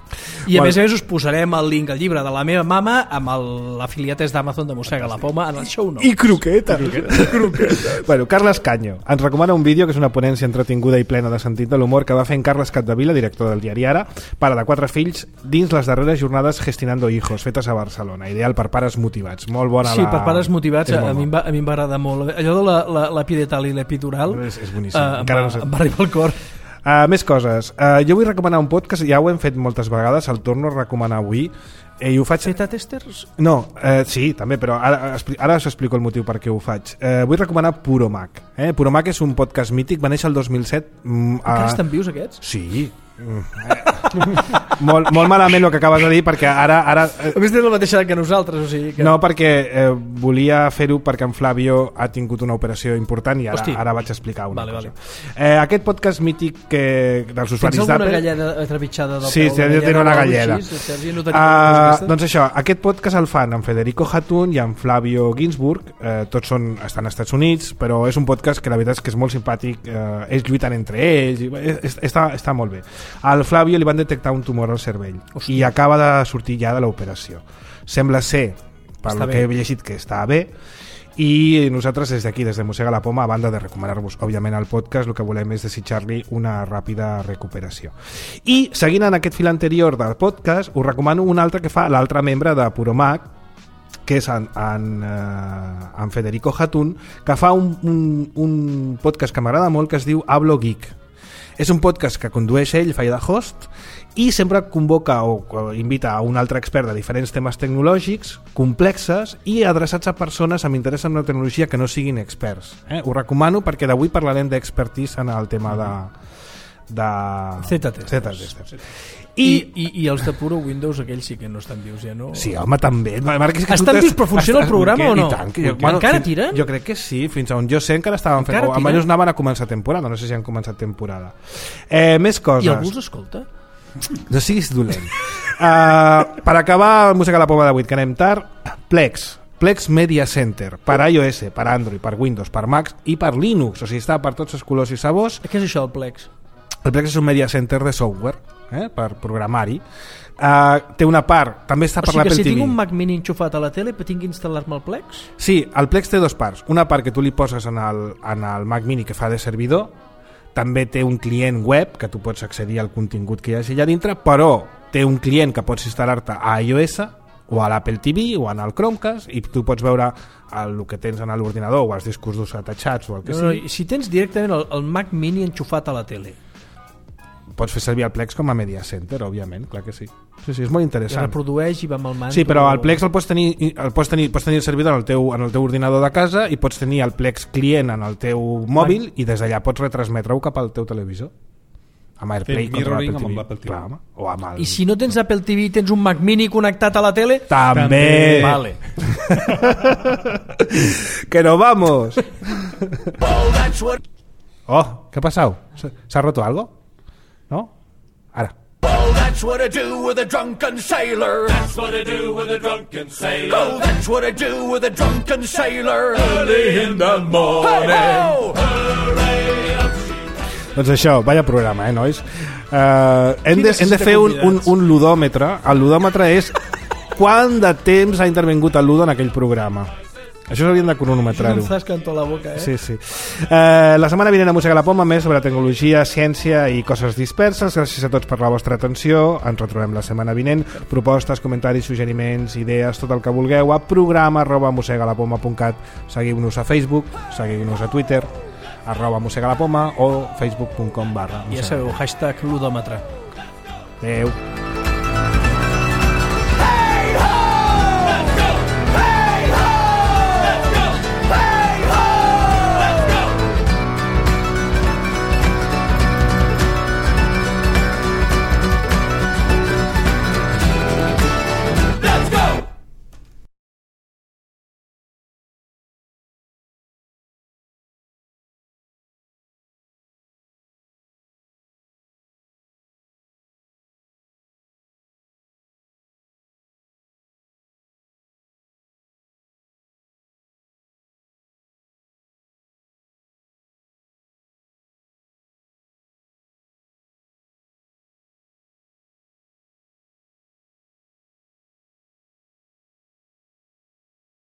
I a Bueno. més a més us posarem el link al llibre de la meva mama amb el- l'afiliat d'Amazon de Mossega la Poma en el show notes. I croqueta. croqueta. Bueno, Carles Caño ens recomana un vídeo que és una ponència entretinguda i plena de sentit de l'humor que va fer en Carles Capdevila, director del diari Ara, pare de quatre fills, dins les darreres jornades Gestionando Hijos, fetes a Barcelona. Ideal per pares motivats. Molt bona Sí, la... per pares motivats, És a, molt a, mi em bona. va, a mi em va agradar molt. Allò de la- la- l'epidural i l'epidural És, és boníssim. eh, em, Encara va, no sé. em va arribar al cor. Uh, més coses. Uh, jo vull recomanar un podcast, ja ho hem fet moltes vegades, el torno a recomanar avui, eh, i ho faig... Beta testers? No, eh, sí, també, però ara, expli- ara us explico el motiu per què ho faig. Eh, vull recomanar Puro Mac. Eh? Puro Mac és un podcast mític, va néixer el dos mil set. Mm, Encara a... estan vius aquests? Sí. Mm, eh. molt, molt malament el que acabes de dir, perquè ara... ara eh, A més tenen la mateixa edat que nosaltres, o sigui que... no, perquè eh, volia fer-ho perquè en Flavio ha tingut una operació important i ara, Hosti. ara vaig explicar una Vale, cosa. vale. Eh, aquest podcast mític que, dels Tens usuaris alguna d'Apple... galleda trepitjada del Sí, peu? sí, Una jo tinc una o alguna galleda. així? Sergi, no tenim Uh, aquesta? doncs això, aquest podcast el fan en Federico Hatun i en Flavio Ginsburg, eh, tots són, estan als Estats Units, però és un podcast que la veritat és que és molt simpàtic, eh, ells lluiten entre ells, i, eh, està, està molt bé. Al Flavio li van detectar un tumor al cervell Hòstia. i acaba de sortir ja de l'operació. Sembla ser, per Està el bé. que he llegit que està bé, i nosaltres des d'aquí, des de Mossega la Poma, a banda de recomanar-vos òbviament el podcast, el que volem és desitjar-li una ràpida recuperació. I seguint en aquest fil anterior del podcast, us recomano un altre que fa l'altre membre de Puromac, que és en, en, eh, en Federico Hatun, que fa un, un, un podcast que m'agrada molt, que es diu Hablo Geek. És un podcast que condueix ell, fa de host, i sempre convoca o, o invita a un altre expert de diferents temes tecnològics complexes i adreçats a persones amb interès en la tecnologia que no siguin experts. Eh? Ho recomano perquè d'avui parlarem d'expertise en el tema de, de Z-testers. I, I, i, I els de puro Windows, aquells sí que no estan vius ja, no? Sí, home, també. Marc, és que estan tu vius, però funciona el programa o no? I tant, que, bueno, encara fins, tiren? Jo crec que sí, fins on jo sé encara estaven fent, o almenys anaven a començar temporada, no sé si han començat temporada. Eh, més coses. I algú els escolta? No siguis dolent. Uh, per acabar el Mossega la Poma d'avui, que anem tard, Plex. Plex Media Center, per iOS, per Android, per Windows, per Mac i per Linux, o sigui, està per tots els colors i sabors. Què és això, el Plex? El Plex és un media center de software, eh, per programari. Uh, té una part, també està per l'Apple T V. O sigui que si T V. tinc un Mac Mini enxufat a la tele, tinc que instal·lar-me el Plex? Sí, el Plex té dues parts. Una part que tu li poses en el, en el Mac Mini que fa de servidor, també té un client web que tu pots accedir al contingut que hi hagi allà dintre, però té un client que pots instal·lar-te a iOS o a l'Apple T V o en el Chromecast i tu pots veure el, el que tens en l'ordinador o els discos durs atachats o el que no, no, sigui. Si tens directament el, el Mac Mini enxufat a la tele, pots fer servir el Plex com a media center, òbviament, clar que sí. Sí, sí, és molt i interessant. reprodueix i va amb el manto. Sí, però el Plex el pots tenir, el pots tenir, pots tenir el servidor en el, teu, en el teu ordinador de casa i pots tenir el Plex client en el teu mòbil i des d'allà pots retransmetre-ho cap al teu televisor. Amb AirPlay contra l'Apple T V. L'Apple T V. Clar, home. O amb el... I si no tens Apple T V i tens un Mac Mini connectat a la tele, També. vale. Que no vamos. Oh, ¿qué ha pasado? ¿Se ha roto algo? ¿No? Ahora. Oh, that's what I do with a drunken sailor. That's what I do with a drunken sailor. Oh, that's what I do with a drunken sailor. Early in the morning. Hey-ho! Doncs això, vaya programa, eh, nois? Uh, hem, de, hem de fer un, un, un ludòmetre. El ludòmetre és quant de temps ha intervingut el Ludo en aquell programa. Això s'haurien de cronometrar-ho. Em fas canto a la boca, eh? Sí, sí. Uh, la setmana vinent a Mossega la Poma, més sobre tecnologia, ciència i coses disperses. Gràcies a tots per la vostra atenció. Ens retrobem la setmana vinent. Propostes, comentaris, suggeriments, idees, tot el que vulgueu a programa arroba mossegalapoma punt cat. Seguiu-nos a Facebook, seguiu-nos a Twitter arroba mossegalapoma o facebook punt com barra Ja sabeu, hashtag ludòmetre. Adéu.